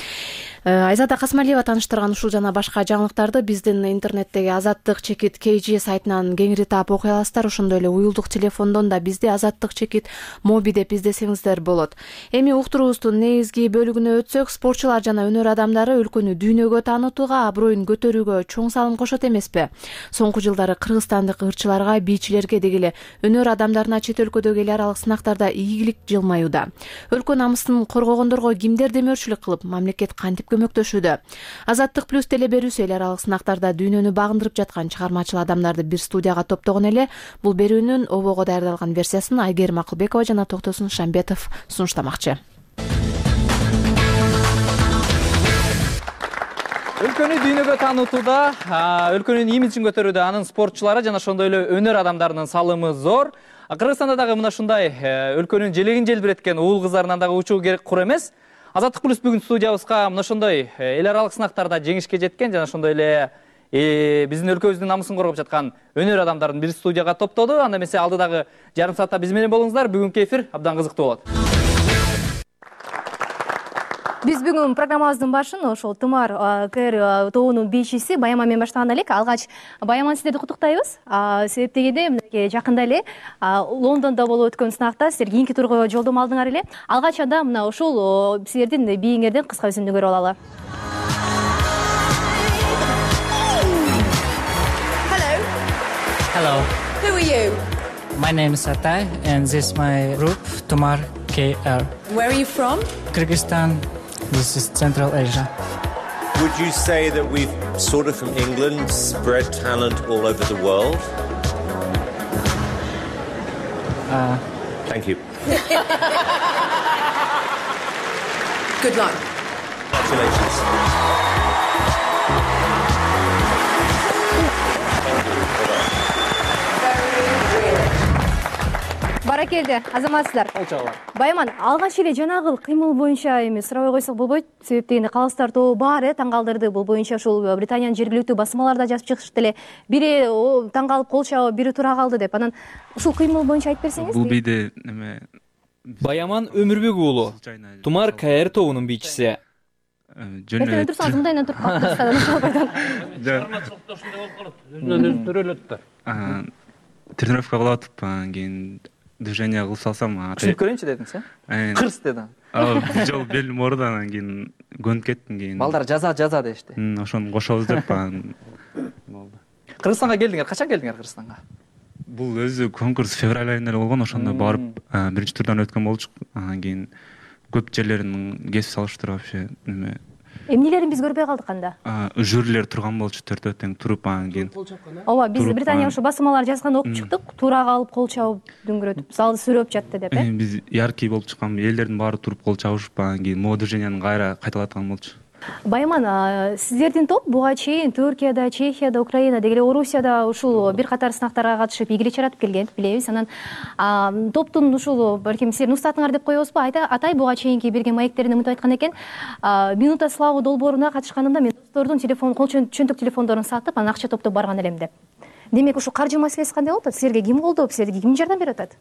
Айзада Касмалиева тааныштырган ушул жана башка жаңылыктарды биздин интернеттеги Азаттык чекит KG сайтынан кеңири таап окуй аласыздар. Ошондой эле уюлдук телефондон да бизди Азаттык чекит моби деп издесеңиздер болот. Эми уктуруубуздун негизги бөлүгүнө өтсөк, спортчулар жана өнөр адамдары өлкөнү дүйнөгө таанытууга, аброюн көтөрүүгө чоң салым кошот эмеспи? Соңку жылдары кыргызстандык ырчыларга, бийчилерге деги эле өнөр адамдарына чет өлкөдөгү эл аралык сынактарда ийгилик жылмаюуда. Өлкө намысын коргогондорго кимдер демөөрчүлүк кылып, мамлекет кантип көмөктөшүүдө? Азаттык плюс теле берүүсү эл аралык сынактарда дүйнөнү багындырып жаткан чыгармачыл адамдарды бир студияга топтогон эле. Бул берүүнүн обого даярдалган версиясын Айгерим Акылбекова жана Токтосун Шамбетов сунуштамакчы. Өлкөнү дүйнөгө таанытууда, өлкөнүн имиджин көтөрүүдө анын спортчулары жана ошондой эле өнөр адамдарынын салымы зор. Кыргызстанда дагы мына ушундай өлкөнүн желегин желбиреткен уул кыздарынан дагы учуу керек кур эмес. Азаттык плюс бүгүн студиябызга мына ошондой эл аралык сынактарда жеңишке жеткен жана ошондой эле биздин өлкөбүздүн намысын коргоп жаткан өнөр адамдарын бир студияга топтоду. Анда эмесе алдыдагы жарым саатта биз менен болуңуздар. Бүгүнкү эфир абдан кызыктуу болот. Биз бүгүн программабыздын башын ошол Тымар КР тобунун бийчиси Баяма менен баштаган элек. Алгач Баяма сиздерди куттуктайбыз. Себеп дегенде мынакей жакында эле Лондондо болуп өткөн сынакта сиздер кийинки турга жолдомо алдыңар эле. Алгач анда мына ушул сиздердин бийиңерден кыска үзүндү көрүп алалы. Hello. Who are you? My name is Atay and this is my group Tumar KR. Where are you from? Kyrgyzstan. This is Central Asia. Would you say that we've sort of from England spread talent all over the world? Thank you. Good luck. Congratulations. Баракелде, азаматсыздар. Баяман, алгач эле жанагы кыймыл боюнча эми сурабай койсок болбойт. Себеп дегенде калыстар тобу бар таң калдырды. Бул боюнча ушул Британиянын жергиликтүү басмаларда жазып чыгышты эле. Бири таң калып кол чабып, бири тура калды деп. Анан ушул кыймыл боюнча айтып берсеңиз. Бул бийде эме Баяман Өмүрбек уулу, Тумар КР тобунун бийчиси. Жөнөт. Турсаңыз мындайынан туруп калып тренировка кылып атып, кийин движение кылып салсам, түшүнүп көрөйүнчү дедиңиз, кырс деди. Бир жолу белим ооруду, анан кийин көнүп кеттим. Кийин балдар жаза дешти. Ошону кошобуз деп болду. Кыргызстанга келдиңер, качан келдиңер Кыргызстанга? Бул өзү конкурс февраль айында эле болгон, ошондо барып биринчи турдан өткөн болчук. Анан кийин көп жерлерин кесип салыштыр вообще. Эмнелерин биз көрбөй калдык анда? Жюрилер турган болчу, төртөө тең туруп, анан кийин. Ооба, биз Британия ошо басмалар жазган окуп чыктык, тура калып кол чабып дүңгүрөтүп, залды сүрөп жатты деп. Биз яркий болуп чыккан, элдердин баары туруп кол чабышып, анан кийин могу движениени кайра кайталаткан болчу. Байман, сиздердин топ буга чейин Түркияда, Чехияда, Украинада, эле Орусияда ушул бир катар сынактарга катышып игилик чаратып келген, билебиз. Анан топтун ушул балким силердин устатыңар деп коебузбу? Атай буга чейинки берген маектерин умутуп айткан экен. Минута славы долбооруна катышканымда мен достордун телефон, кол чөнтөк телефондорун сатып, анан акча топтоп барган элем деп. Демек ушу каржы маселеси кандай болуп атат? Силерге ким колдоп, силерге ким жардам берип атат?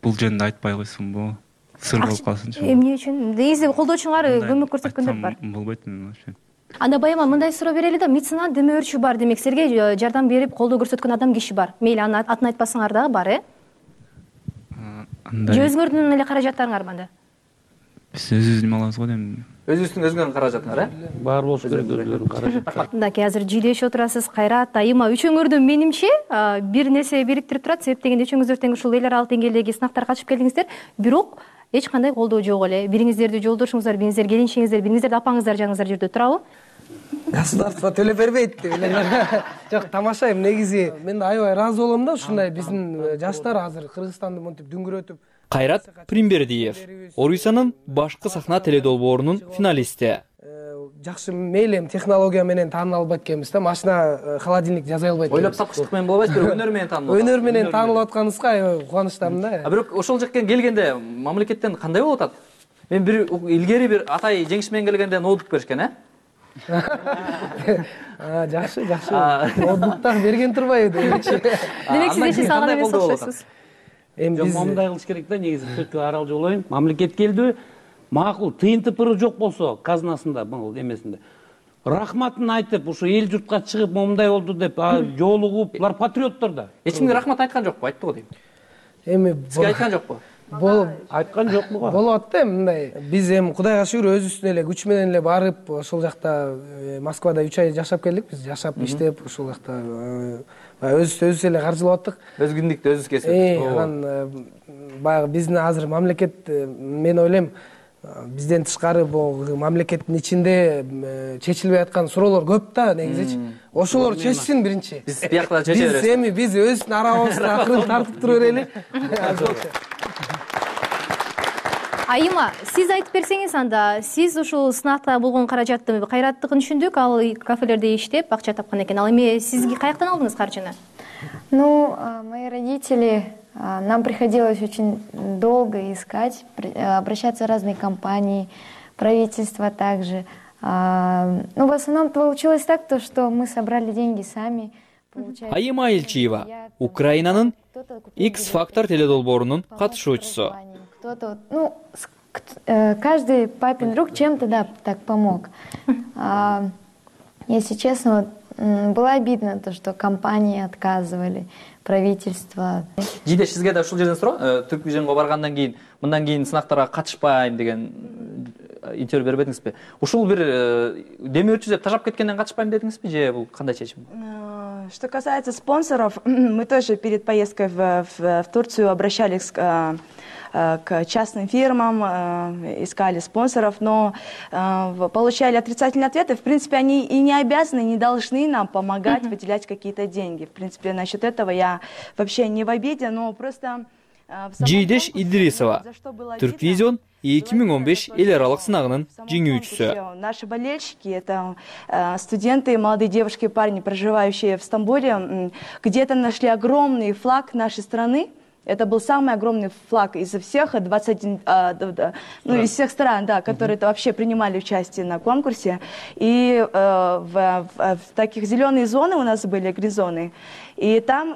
Бул жөнүндө айтпай койсунбу? Сыр болуп калсынчы. Эмне үчүн? Негизи колдоочуңар көмөк көрсөткөндөр бар. Болбойт вообще. Анда Байман, мындай суроо берели да, меценат демөөрчү бар, демек силерге жардам берип, колдоо көрсөткөн адам киши бар. Мейли анын атын айтпасаңар дагы бар, Же өзүңөрдүн эле каражаттарыңар анда? Биз өзүбүздүн алабыз го дейм. Өзүңөрдүн каражатыңар, Бар болуш керек өзүлөрүнүн каражаты. Мындаки азыр жүйдөшүп отурасыз, Кайрат, Айыма, үчөөңөрдүн менимче бир нерсе бириктирип турат. Себеп дегенде үчөөңүздөр тең ушул эл аралык деңгээлдеги сынактарга катышып келдиңиздер, бирок эч кандай колдоо жок эле. Бириңиздерди жолдошуңуздар, бириңиздер келинчеңиздер, бириңиздерди апаңыздар жаңыңыздар жүрдү, туурабы? Государство төлөп бербейт деп эле. Жок, тамаша. Негизи мен да аябай ыраазы болом да, ушундай биздин жаштар азыр Кыргызстанды мынтип дүңгүрөтүп. Кайрат Примбердиев, Орусиянын башкы сахна теледолбоорунун финалисти. Жакшы, мейли эми технология менен тааныла албайт экенбиз да, машина, холодильник жасай албайт. Ойлоп тапкычтык менен болбойт, бирок өнөр менен таанылып. Өнөр менен таанылып атканыбызга аябай кубанычтамын да. Бирок ошол жактан келгенде мамлекеттен кандай болуп атат? Мен бир илгери бир атай жеңиш менен келгенде ноутбук беришкен, Жакшы. Ноутбук так берген турбайбы демекчи. Демек сиз эче салган эмес окшойсуз. Эми биз мындай кылыш керек да, негизи түркү арал жолоюн. Мамлекет келди, макул тыйын тыпыры жок болсо, казынасында, бул эмесинде. Рахматын айтып, ушу эл журтка чыгып, момундай болду деп жолугуп, булар патриоттор да. Эч кимге рахмат айткан жокпу? Айтты го дейм. Эми сизге айткан жокпу? Айткан жокму го? Болуп атты эми мындай. Биз эми Кудайга шүгүр өзүбүздүн эле күч менен эле барып, ошол жакта Москвада 3 ай жашап келдик. Биз жашап иштеп, ошол жакта өзүбүз эле каржылап аттык. Өз күндүктү өзүбүз кесип. Анан баягы биздин азыр мамлекет, мен ойлойм, бизден тышкары бул мамлекеттин ичинде чечилбей аткан суроолор көп да, негизичи. Ошолор чечсин биринчи. Биз биякта чече беребиз. Биз эми өзүбүздүн арабызды акырын тартып тура берели. Айыма, сиз айтып берсеңиз анда, сиз ушул сынакта болгон каражатты Кайраттыкын түшүндүк, ал кафелерде иштеп акча тапкан экен. Ал эми сиз каяктан алдыңыз каржыны? Мои родители, нам приходилось очень долго искать, обращаться в разные компании, правительство также. В основном получилось так, что мы собрали деньги сами. Айыма Элчиева, Украинанын X-Factor теледолбоорунун катышуучусу. Кто-то, каждый папин друг чем-то, так помог. Если честно, было обидно то, что компании отказывали, правительство. Жийдеш, сизге да ушул жерден суроо. Түрквижнго баргандан кийин, мындан кийин сынактарга катышпайм деген интервью бербедиңизби? Ушул бир демөөрчү деп тажап кеткенден катышпайм дедиңизби, же бул кандай чечим? Что касается спонсоров, мы тоже перед поездкой в Турцию обращались к частным фирмам, искали спонсоров, но получали отрицательные ответы. В принципе, они и не обязаны, не должны нам помогать выделять какие-то деньги. В принципе, насчет этого я вообще не в обиде, но просто... Жийдеш Идрисова, Түрквизион 2015 эл аралык сынагынын жеңүүчүсү. Наши болельщики — это студенты, молодые девушки и парни, проживающие в Стамбуле, где-то нашли огромный флаг нашей страны. Это был самый огромный флаг из всех 21, из всех стран, да, которые вообще принимали участие на конкурсе. И в таких зеленые зоны у нас были, гризоны. И там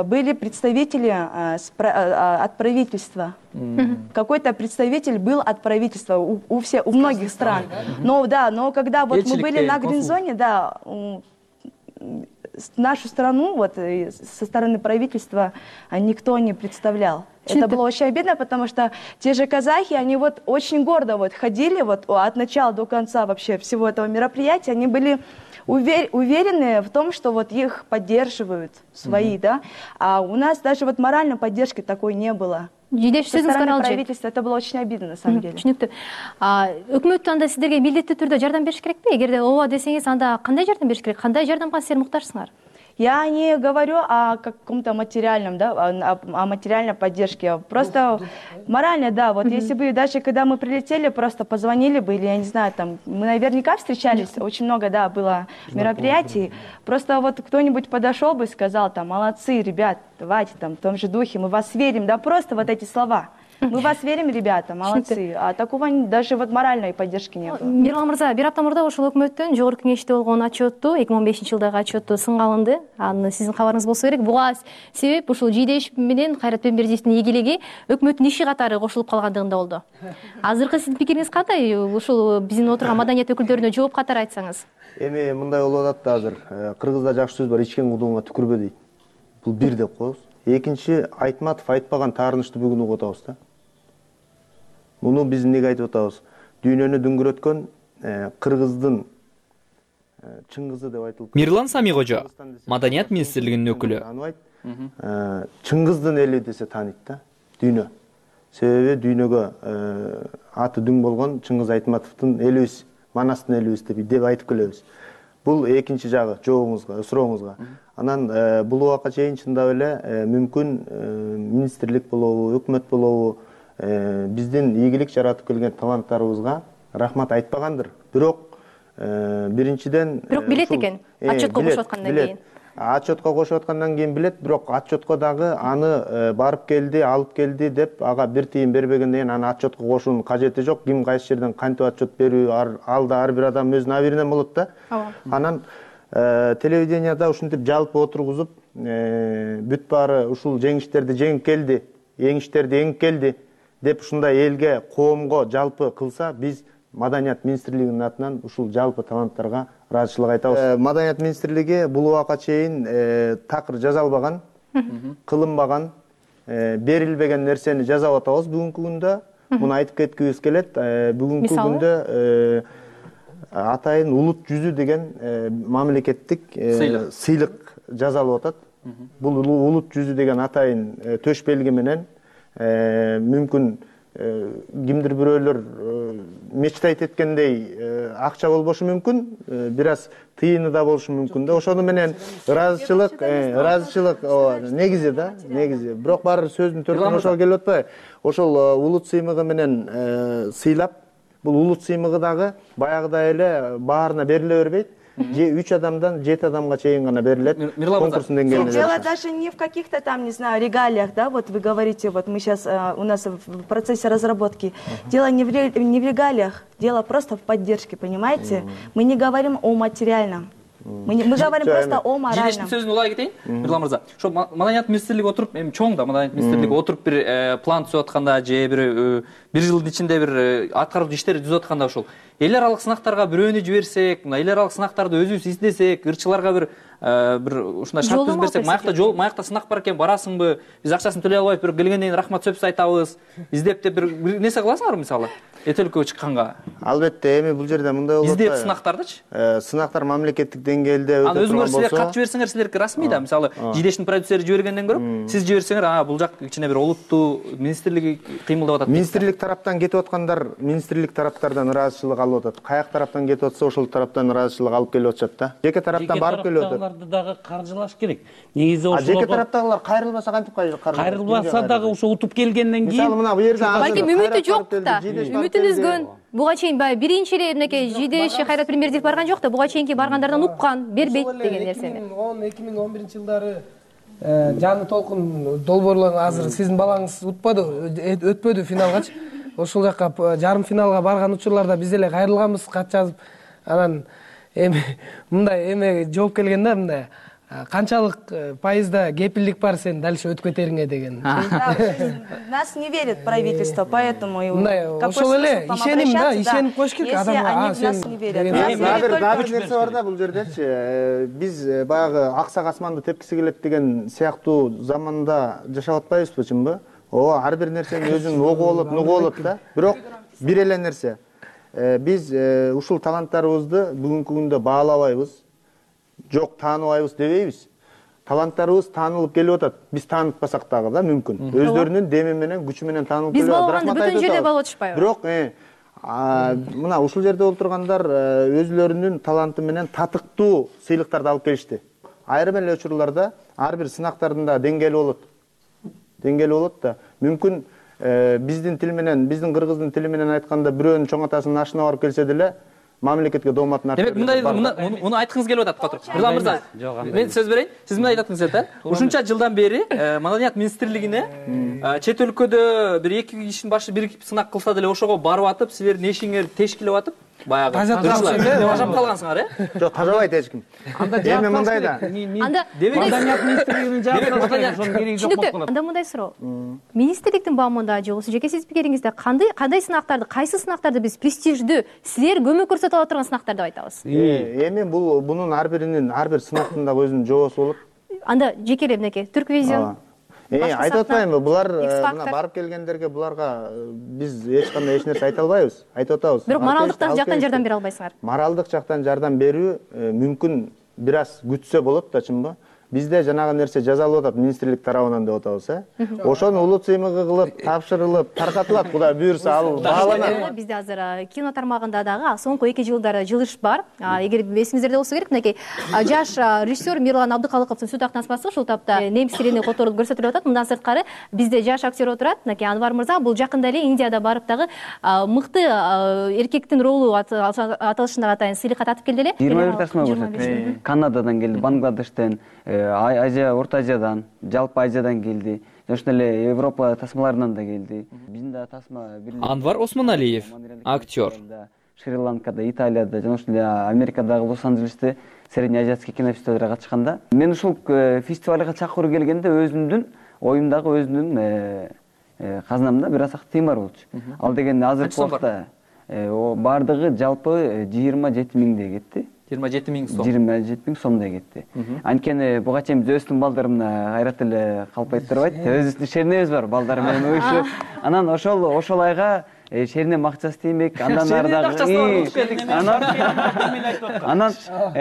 были представители от правительства. Какой-то представитель был от правительства у многих стран. Но когда вот мы были на грин-зоне, да, нашу страну вот со стороны правительства никто не представлял. Это было очень обидно, потому что те же казахи, они вот очень гордо вот ходили вот от начала до конца вообще всего этого мероприятия, они были уверены в том, что вот их поддерживают свои, да, а у нас даже вот моральной поддержки такой не было. Со стороны правительства это было очень обидно, на самом деле. Түшүнүктүү. Өкмөт анда сиздерге милдеттүү түрдө жардам бериш керекпи? Эгерде ооба десеңиз, анда кандай жардам бериш керек? Кандай жардамга силер муктажсыңар? Я не говорю о каком-то материальном, да, о материальной поддержке. Просто морально, да. Вот если бы даже когда мы прилетели, просто позвонили бы, или я не знаю, там, мы наверняка встречались, очень много, да, было мероприятий. Просто вот кто-нибудь подошел бы и сказал, там, молодцы, ребят, давайте, там, в том же духе, мы в вас верим, да, просто вот эти слова. Мы в вас верим, ребята, молодцы. А такого даже вот моральной поддержки не было. Мирлан мырза, бир апта мурда ошол өкмөттүн жогорку кеңеште болгон отчетту 2015-жылдагы отчетту сынга алынды. Аны сиздин кабарыңыз болсо керек. Буга себеп ушул Жийдеш менен Кайрат Пембердиевдин ийгилиги өкмөттүн иши катары кошулуп калгандыгында болду. Азыркы сиздин пикириңиз кандай? Ушул биздин отурган маданият өкүлдөрүнө жооп катары айтсаңыз. Эми мындай болуп атат да азыр. Кыргызда жакшы сөз бар, ичкен кудуңга түкүрбө дейт. Бул бир деп коебуз. Экинчи, Айтматов айтпаган таарынычты бүгүн угуп атабыз да. Муну биз эмнеге айтып атабыз? Дүйнөнү дүңгүрөткөн кыргыздын чыңгызы деп айтылып. Мирлан Самигожо, Маданият министрлигинин өкүлү. Чыңгыздын эли десе тааныйт да, дүйнө. Себеби дүйнөгө аты дүң болгон Чыңгыз Айтматовдун элибиз, Манастын элибиз деп айтып келебиз. Бул экинчи жагы жообуңузга, сурооңузга. Анан бул убакка чейин чындап эле мүмкүн министрлик болобу, өкмөт болобу, биздин ийгилик жаратып келген таланттарыбызга рахмат айтпагандыр. Бирок биринчиден билет экен, отчетко кошуп аткандан кийин. Отчетко кошуп аткандан кийин билет, бирок отчетко дагы аны барып келди, алып келди деп ага бир тыйын бербегенден кийин аны отчетко кошуунун кажети жок. Ким кайсы жерден кантип отчет берүү, алда ар бир адам өзүнүн абийиринен болот да. Анан телевиденияда ушинтип жалпы отургузуп, бүт баары ушул жеңиштерди жеңип келди, еңиштерди эңип келди деп ушундай элге, коомго жалпы кылса, биз Маданият министрлигинин атынан ушул жалпы таланттарга ыраазычылык айтабыз. Маданият министрлиги бул убакка чейин такыр жазалбаган, кылынбаган, берилбеген нерсени жазап атабыз бүгүнкү күндө. Муну айтып кеткибиз келет. Бүгүнкү күндө атайын улут жүзү деген мамлекеттик сыйлык жазалып атат. Бул улут жүзү деген атайын төш белги менен мүмкүн кимдир бирөөлөр мечтайт эткендей акча болбошу мүмкүн, бир аз тыйыны да болушу мүмкүн да. Ошону менен ыраазычылык негизи да, негизи. Бирок баары сөздүн төркүнү ошол келип атпайбы? Ошол улут сыймыгы менен сыйлап, бул улут сыймыгы дагы баягыдай эле баарына бериле бербейт. 3 адамдан 7 адамга чейин гана берилет. Конкурстун деңгээлинде. Дело даже не в каких-то там, не знаю, регалиях, да, вот вы говорите, вот мы сейчас, у нас в процессе разработки. Дело не в регалиях, дело просто в поддержке, понимаете? Мы не говорим о материальном. Мы говорим просто о моральном. Жийдештин сөзүн улай кетейин, Мирлан мырза. Ошо Маданият министрлиги отуруп, эми чоң да Маданият министрлиги отуруп бир план түзүп атканда же бир жылдын ичинде бир аткаруу иштерди түзүп атканда ошол эл аралык сынактарга бирөөнү жиберсек, мына эл аралык сынактарды өзүбүз издесек, ырчыларга бир ушундай шарт түзүп берсек, маякта сынак бар экен, барасыңбы? Биз акчасын төлөй албайбыз, бирок келгенден кийин рахмат сөз айтабыз. Издеп деп бир нерсе кыласыңарбы мисалы? Эт өлкөгө чыкканга. Албетте, эми бул жерде мындай болот. Издеп сынактардычы? Сынактар мамлекеттик деңгээлде өтө турган болсо. Өзүңөр силер кат жиберсеңер, силерге расмий да, мисалы, Жийдештин продюсери жибергенден көрө, сиз жиберсеңер, бул жак кичине бир олуттуу министрлиги кыймылдап атат. Министрлик тараптан кетип аткандар, министрлик тараптардан ыраазычылык алып атат. Каяк тараптан кетип атса, ошол тараптан ыраазычылык алып келип атышат да. Жеке тараптан барып келип атат. Тараптагыларды дагы каржылаш керек. Негизи ошол. Жеке тараптагылар кайрылбаса кантип кайрылбаса дагы ошо утуп келгенден кийин. Мисалы мына бу жерде балким үмүтү жок да. Үмүтүн үзгөн. Буга чейин баягы биринчи эле мынакей Жийдеш Кайрат Пембердиев барган жок да. Буга чейинки баргандардан уккан, бербейт деген нерсени. 2011-жылдары жаңы толкун долбоорлор азыр сиздин балаңыз өтпөдү финалгачы. Ошол жакка жарым финалга барган учурларда биз эле кайрылганбыз, кат жазып. Анан эми мындай эме жооп келген да, мындай канчалык пайызда кепилдик бар сен дальше өтүп кетериңе деген. Нас не верит правительство, поэтому ошол эле ишеним да, ишенип коюш керек адамга. Нас не верят. Дагы бир нерсе бар да бул жердечи. Биз баягы аксак асманды тепкиси келет деген сыяктуу заманда жашап атпайбызбы, чынбы? Ооба, ар бир нерсени өзүнүн огу болот, нугу болот да. Бирок бир эле нерсе. Биз ушул таланттарыбызды бүгүнкү күндө баалабайбыз. Жок, тааныбайбыз дебейбиз. Таланттарыбыз таанылып келип атат. Биз таанытпасак дагы да мүмкүн. Өздөрүнүн деми менен, күчү менен таанылып келип атат. Биз балганда бүтүн жерде балып атышпайбы? Бирок мына ушул жерде отургандар өзлөрүнүн таланты менен татыктуу сыйлыктарды алып келишти. айрым эле учурларда ар бир сынактардын да деңгээли болот да. Мүмкүн биздин тил менен, биздин кыргыздын тили менен айтканда бирөөнүн чоң атасынын ашына барып келсе деле мамлекетке дооматын демек муну айткыңыз келип атат Котур мырза. Мен сөз берейин. Сиз мындай айткыңыз келип атат. Ушунча жылдан бери Маданият министрлигине чет өлкөдө бир 2 кишинин башы биригип сынак кылса деле ошого барып атып, силердин эшигиңер тешкилеп атып, баягы тажап калгансыңар, Жок, тажабайт эч ким. Эми мындай да. Маданият министрлигинин жаабы ошонун кереги жок болуп калат. Анда мындай суроо. Министрликтин баамында же болбосо жеке сиз пикириңизде кандай сынактарды, кайсы сынактарды биз престиждүү, силер көмөк көрсөтө ала турган сынактар деп айтабыз? Эми бунун ар бир сынактын дагы өзүнүн жообусу болот. Анда жекелеп мынакей Түрквизион айтып атпайбы, булар мына барып келгендерге буларга биз эч кандай эч нерсе айта албайбыз, айтып атабыз. Бирок моралдык жактан жардам бере албайсыңар. Моралдык жактан жардам берүү мүмкүн бир аз күтсө болот да, чынбы? Бизде жанагы нерсе жазалып атат министрлик тарабынан деп атабыз, Ошону улут сыймыгы кылып, тапшырылып, таркатылат, Кудай буйрса, ал бааланат. Бизде азыр кино тармагында дагы соңку 2 жылдары жылыш бар. Эгер эсиңиздерде болсо керек, мынакей жаш режиссер Мирлан Абдыкалыковдун Суу тактанасы ушул тапта немис тилине которулуп көрсөтүлүп атат. Мындан сырткары бизде жаш актер отурат, мынакей Анвар мырза, бул жакында эле Индияда барып дагы мыкты эркектин ролу аталышында атайын сыйлыкка татып келди эле. 21 тасма көрсөттү. Канададан келди, Бангладештен, Азия, Орто Азиядан, жалпы Азиядан келди. Ошондой эле Европа тасмаларынан да келди. Биздин да тасма Анвар Осмоналиев, актер. Шри-Ланкада, Италияда, жана ошондой Америкадагы Лос-Анджелесте среднеазиатский кинофестивалга катышканда, мен ушул фестивалга чакыруу келгенде өзүмдүн оюмдагы өзүмдүн казынамда бир аз тыйын бар болчу. Ал деген азыркы убакта бардыгы жалпы 27 миңдей кетти. 27 миң сом. 27 миң сомдой кетти. Анткени буга чейин биз өздүн балдарымна кайрат эле калпайт турбайт. Өзүбүздүн шернебиз бар, балдар менен уюшуп. Анан ошол айга шерне акчасы тиймек, андан ары дагы.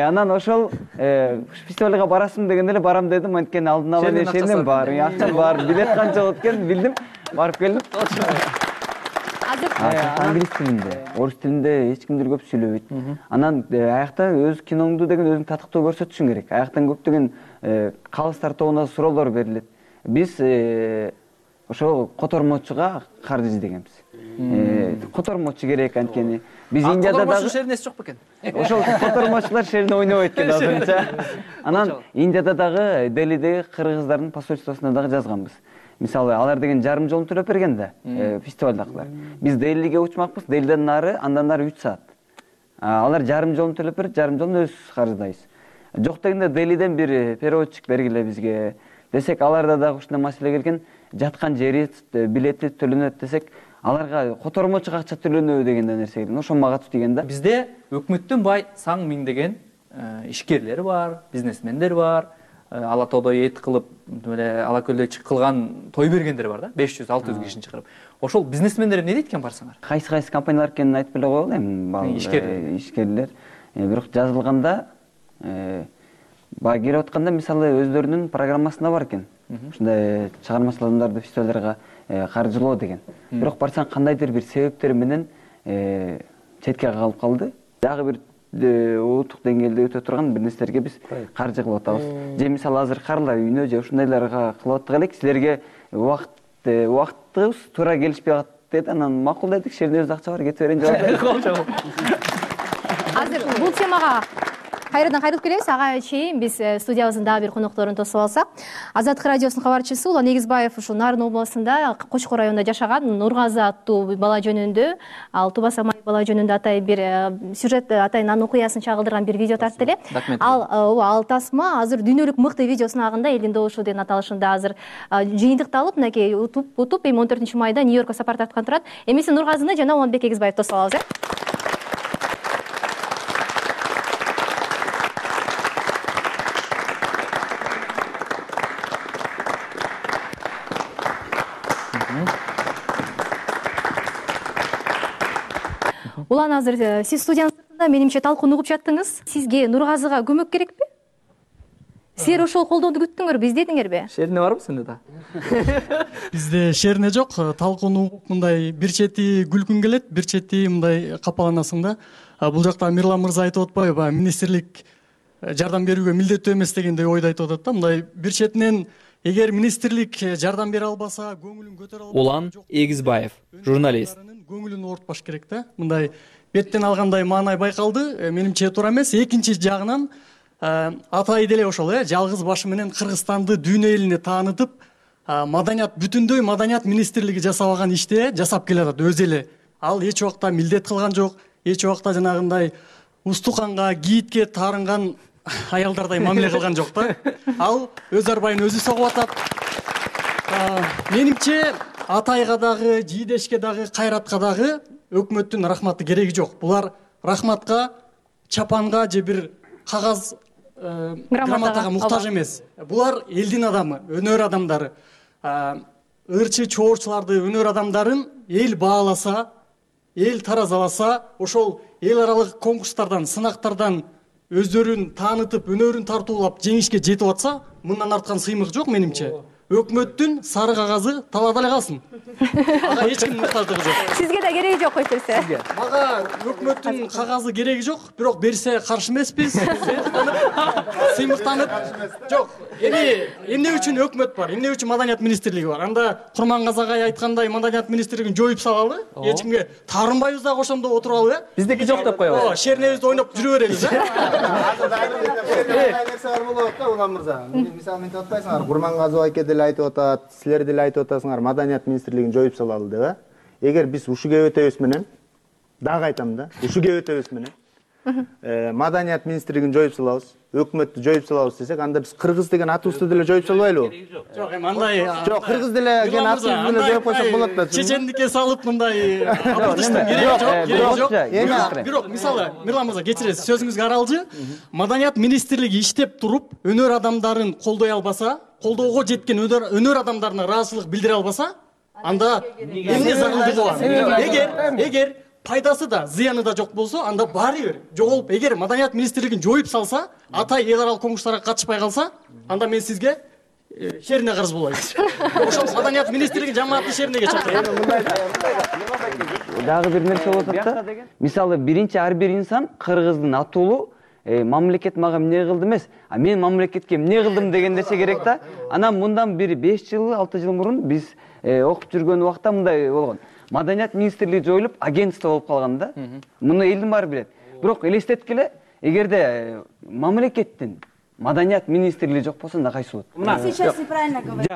Анан ошол фестивалга барасың дегенде эле барам дедим, анткени алдын ала шернем бар, акчам бар, билет канча болот экен билдим, барып келдим. Англис тилинде, орус тилинде эч кимдир көп сүйлөбөйт. Анан аякта өз киноңду деген өзүң татыктуу көрсөтүшүң керек. Аяктан көптөгөн калыстар тобуна суроолор берилет. Биз ошол котормочуга каржы издегенбиз. Котормочу керек анткени. Биз Индияда дагы шернеси жок бекен. Ошол котормочулар шерне ойнобойт экен азырынча. Анан Индияда дагы Делидеги кыргыздардын посольствосуна дагы жазганбыз. Мисалы, алар деген жарым жолун төлөп берген да, фестивалдакылар. Биз Делиге учмакпыз, Делиден нары, андан нары 3 саат. Алар жарым жолун төлөп берет, жарым жолун өз каржыдайбыз. Жок дегенде Делиден бир переводчик бергиле бизге десек, аларда дагы ушундай маселе келген, жаткан жери, билети төлөнөт десек, аларга котормочуга акча төлөнөбү деген нерсе келген. Ошо мага тиген да. Бизде өкмөттүн бай саң миңдеген ишкерлер бар, бизнесмендер бар. Ала тоодо эт кылып, Ала көлдө кылган той бергендер бар да, 500-600 кишини чакырып. Ошол бизнесмендер эмне дейт экен барсаңар? Кайсы компаниялар экенин айтып эле коелу эми, ишкерлер. Бирок жазылганда баягы келип атканда мисалы өздөрүнүн программасында бар экен. Ушундай чыгармачыл адамдарды фестивалдарга каржылоо деген. Бирок барсаң кандайдыр бир себептер менен четке калып калды. Дагы бир улуттук деңгээлде өтө турган бир нерселерге биз каржы кылып атабыз. Же мисалы азыр карлар үйүнө же ушундайларга кылып аттык элек, силерге убактыбыз туура келишпей калат деди. Анан макул дедик, шернебизде акча бар, кете берейин деп. Азыр бул темага кайрадан кайтып келебиз. Ага чейин биз студиябыздын дагы бир конокторун тосуп алсак. Азаттык радиосунун кабарчысы Улан Эгизбаев ушул Нарын областында Кочкор районунда жашаган Нургазы аттуу бала жөнүндө, ал Туба Самай бала жөнүндө атайын бир сюжет, атайын анын окуясын чагылдырган бир видео тартты эле. Ал тасма азыр дүйнөлүк мыкты видео сынагында элдин добушу деген аталышында азыр жыйынтыкталып, мынакей утуп эми 14-майда Нью-Йоркко сапар тарткан турат. Эмесе Нургазыны жана Уланбек Эгизбаев тосуп алабыз. Улан, азыр сиз студиянын сыртында менимче талкуун угуп жаттыңыз. Сизге Нургазыга көмөк керекпи? Силер ошол колдоону күттүңөрбү, издедиңерби? Шерне барбы сенде да? Бизде шерне жок, талкуун угуп мындай бир чети күлкүң келет, бир чети мындай капаланасың да. Бул жакта Мирлан мырза айтып атпайбы, министрлик жардам берүүгө милдеттүү эмес дегендей ойду айтып атат да. Мындай бир четинен эгер министрлик жардам бере албаса, көңүлүн көтөрө албаса, Улан Эгизбаев, журналист. Көңүлүн оорутпаш керек да. Мындай беттен алгандай маанай байкалды. Менимче туура эмес. Экинчи жагынан Атай деле ошол жалгыз башы менен Кыргызстанды дүйнө элине таанытып, маданият бүтүндөй маданият министрлиги жасабаган ишти жасап келатат өзү эле. Ал эч убакта милдет кылган жок, эч убакта жанагындай устуканга, киитке таарынган аялдардай мамиле кылган жок да. Ал өз арбайын өзү согуп атат. Менимче Атайга дагы, Жийдешке дагы, Кайратка дагы өкмөттүн рахматы кереги жок. Булар рахматка, чапанга же бир кагаз грамотага муктаж эмес. Булар элдин адамы, өнөр адамдары. Ырчы чоорчуларды, өнөр адамдарын эл бааласа, эл таразаласа, ошол эл аралык конкурстардан, сынактардан өздөрүн таанытып, өнөрүн тартуулап жеңишке жетип атса, мындан арткан сыймык жок менимче. Өкмөттүн сары кагазы талаада эле калсын. Ага эч ким муктаждыгы жок. Сизге да кереги жок койсурсе. Мага өкмөттүн кагазы кереги жок, бирок берсе каршы эмеспиз. Сыймыктанып. Жок. Эмне үчүн өкмөт бар? Эмне үчүн маданият министрлиги бар? Анда Курмангазы агай айткандай маданият министрлигин жоюп салалы, эч кимге таарынбайбыз дагы ошондо отуралы. Биздики жок деп коебуз. Шернебизди ойноп жүрө берелиз. Улан мырза, мисалы мынтип атпайсыңар, Курмангазы айке деле айтып атат, силер деле айтып атасыңар, маданият министрлигин жоюп салалы деп. Эгер биз ушу кебетебиз менен, дагы айтам да, ушу кебетебиз менен маданият министрлигин жоюп салабыз, өкмөттү жоюп салабыз десек, анда биз кыргыз деген атыбызды деле жоюп салбайлыбы? Жок, эми андай. Жок, кыргыз деле деген атыбызды деле жоюп койсок болот да. Чечендикке салып мындай абыртыштын кереги жок. Бирок мисалы, Мирлан мырза, кечиресиз, сөзүңүзгө аралжы. Маданият министрлиги иштеп туруп, өнөр адамдарын колдой албаса, колдоого жеткен өнөр адамдарына ыраазычылык билдире албаса, анда эмне зарылдыгы бар? Эгер пайдасы да, зыяны да жок болсо, анда баары бир жоголуп, эгер маданият министрлигин жоюп салса, Атай эл аралык конкурстарга катышпай калса, анда мен сизге шерине карыз болайм. Ошол маданият министрлигин жамааттын шеринеге чакырайм. Дагы бир нерсе болуп атат да. Мисалы, биринчи ар бир инсан кыргыздын атуулу мамлекет мага эмне кылды эмес, а мен мамлекетке эмне кылдым деген нерсе керек да. Анан мындан бир 5 жыл, 6 жыл мурун биз окуп жүргөн убакта мындай болгон. Маданият министрлиги жоюлуп, агентство болуп калган да. Муну элдин баары билет. Бирок элестеткиле, эгерде мамлекеттин маданият министрлиги жок болсо, анда кайсы болот? Ты сейчас неправильно говоришь.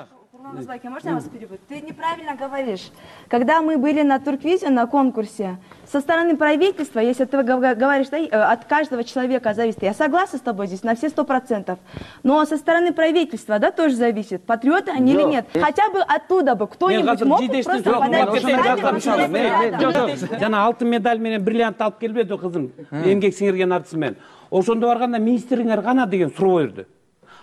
Можно я вас перебью? Ты неправильно говоришь. Когда мы были на Турквизе, на конкурсе, со стороны правительства, если ты говоришь, да, от каждого человека зависит, я согласна с тобой здесь на все 100%, но со стороны правительства, да, тоже зависит, патриоты они или нет. Хотя бы оттуда бы кто-нибудь мог просто подать. Жана алтын медаль менен бриллиант алып келбеди кызым, эмгек сиңирген артист менен. Ошондо барганда министрлиңер кана деген суроо берди.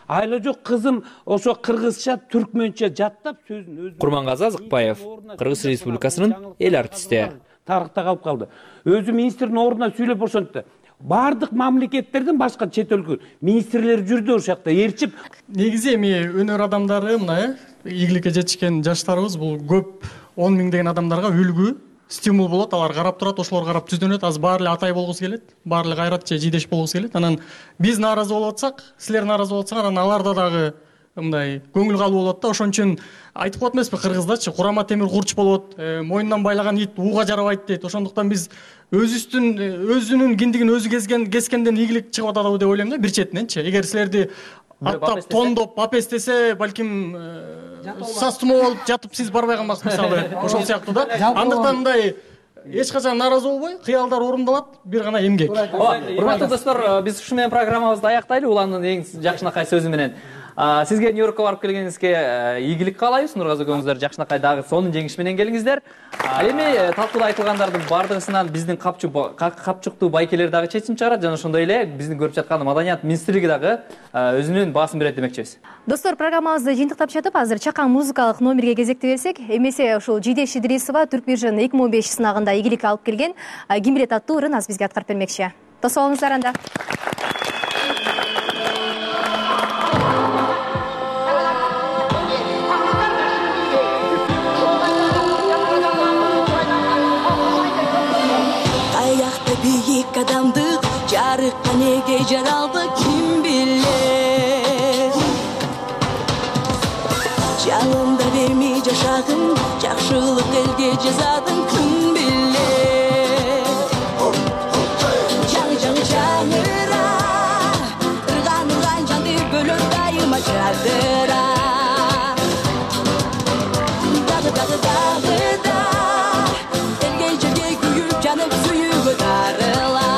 Айла жок, кызым ошо кыргызча, түркмөнчө жаттап сөзүн өзү. Курмангазы Азыкбаев, Кыргыз Республикасынын эл артисти. Тарыхта калып калды. Өзү министрдин ордуна сүйлөп ошентти. Бардык мамлекеттердин башка чет өлкө министрлери жүрдү ошол жакта ээрчип. Негизи эми өнөр адамдары мына ийгиликке жетишкен жаштарыбыз бул көп 10 миңдеген адамдарга үлгү, стимул болот, алар карап турат, ошолор карап түздөнөт. Азыр баары эле Атай болгусу келет, баары эле Кайрат же Жийдеш болгусу келет. Анан биз нааразы болуп атсак, силер нааразы болуп атсаңар, анан аларда дагы мындай көңүл калуу болот да. Ошон үчүн айтып коет эмеспи кыргыздачы, курама темир курч болот, мойнунан байлаган ит ууга жарабайт дейт. Ошондуктан биз өзүнүн киндигин өзү кескенден ийгилик чыгып атабы деп ойлойм да, бир четиненчи. Эгер силерди аттап, тондоп, апестесе, балким састымо болуп жатып сиз барбай калмаксыз мисалы, ошол сыяктуу да. Андыктан мындай эч качан нааразы болбой, кыялдар орундалат, бир гана эмгек. Урматтуу достор, биз ушу менен программабызды аяктайлы. Уландын эң жакшынакай сөзү менен. Сизге Нью-Йоркко барып келгениңизге ийгилик каалайбыз. Нургазы көңүңүздөр жакшынакай дагы сонун жеңиш менен келиңиздер. Эми талкууда айтылгандардын бардыгысынан биздин капчуктуу байкелер дагы чечим чыгарат жана ошондой эле биздин көрүп жаткан маданият министрлиги дагы өзүнүн баасын берет демекчибиз. Достор, программабызды жыйынтыктап жатып, азыр чакан музыкалык номерге кезекти берсек, эмесе ушул Жийдеш Идрисова Турквижн 2015 сынагында ийгилик алып келген Ким билет аттуу ырын азыр бизге аткарып бермекчи. Тосуп алыңыздар анда. Биік адамдық жарыққа неге жаралды, ким жашагын жакшылык элге жазадың ким билет жаңы жаңыра ырган жанды бөлөт дайыма жадыра дагы да элге жерге күйүп жанып сүйүүгө дарыла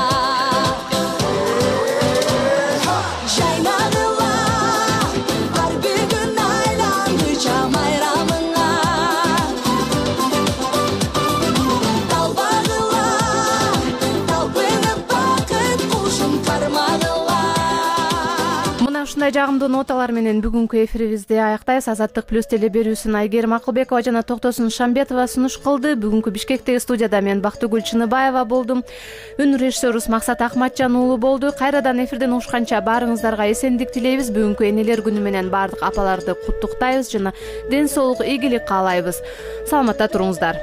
ушундай жагымдуу ноталар менен бүгүнкү эфирибизди аяктайбыз. Азаттык плюс теле берүүсүн Айгерим Акылбекова жана Токтосун Шамбетова сунуш кылды. Бүгүнкү Бишкектеги студияда мен Бактыгүл Чыныбаева болдум. Үн режиссерубуз Максат Акматжан уулу болду. Кайрадан эфирден угушканча баарыңыздарга эсендик тилейбиз. Бүгүнкү энелер күнү менен баардык апаларды куттуктайбыз жана ден соолук, ийгилик каалайбыз. Саламатта туруңуздар.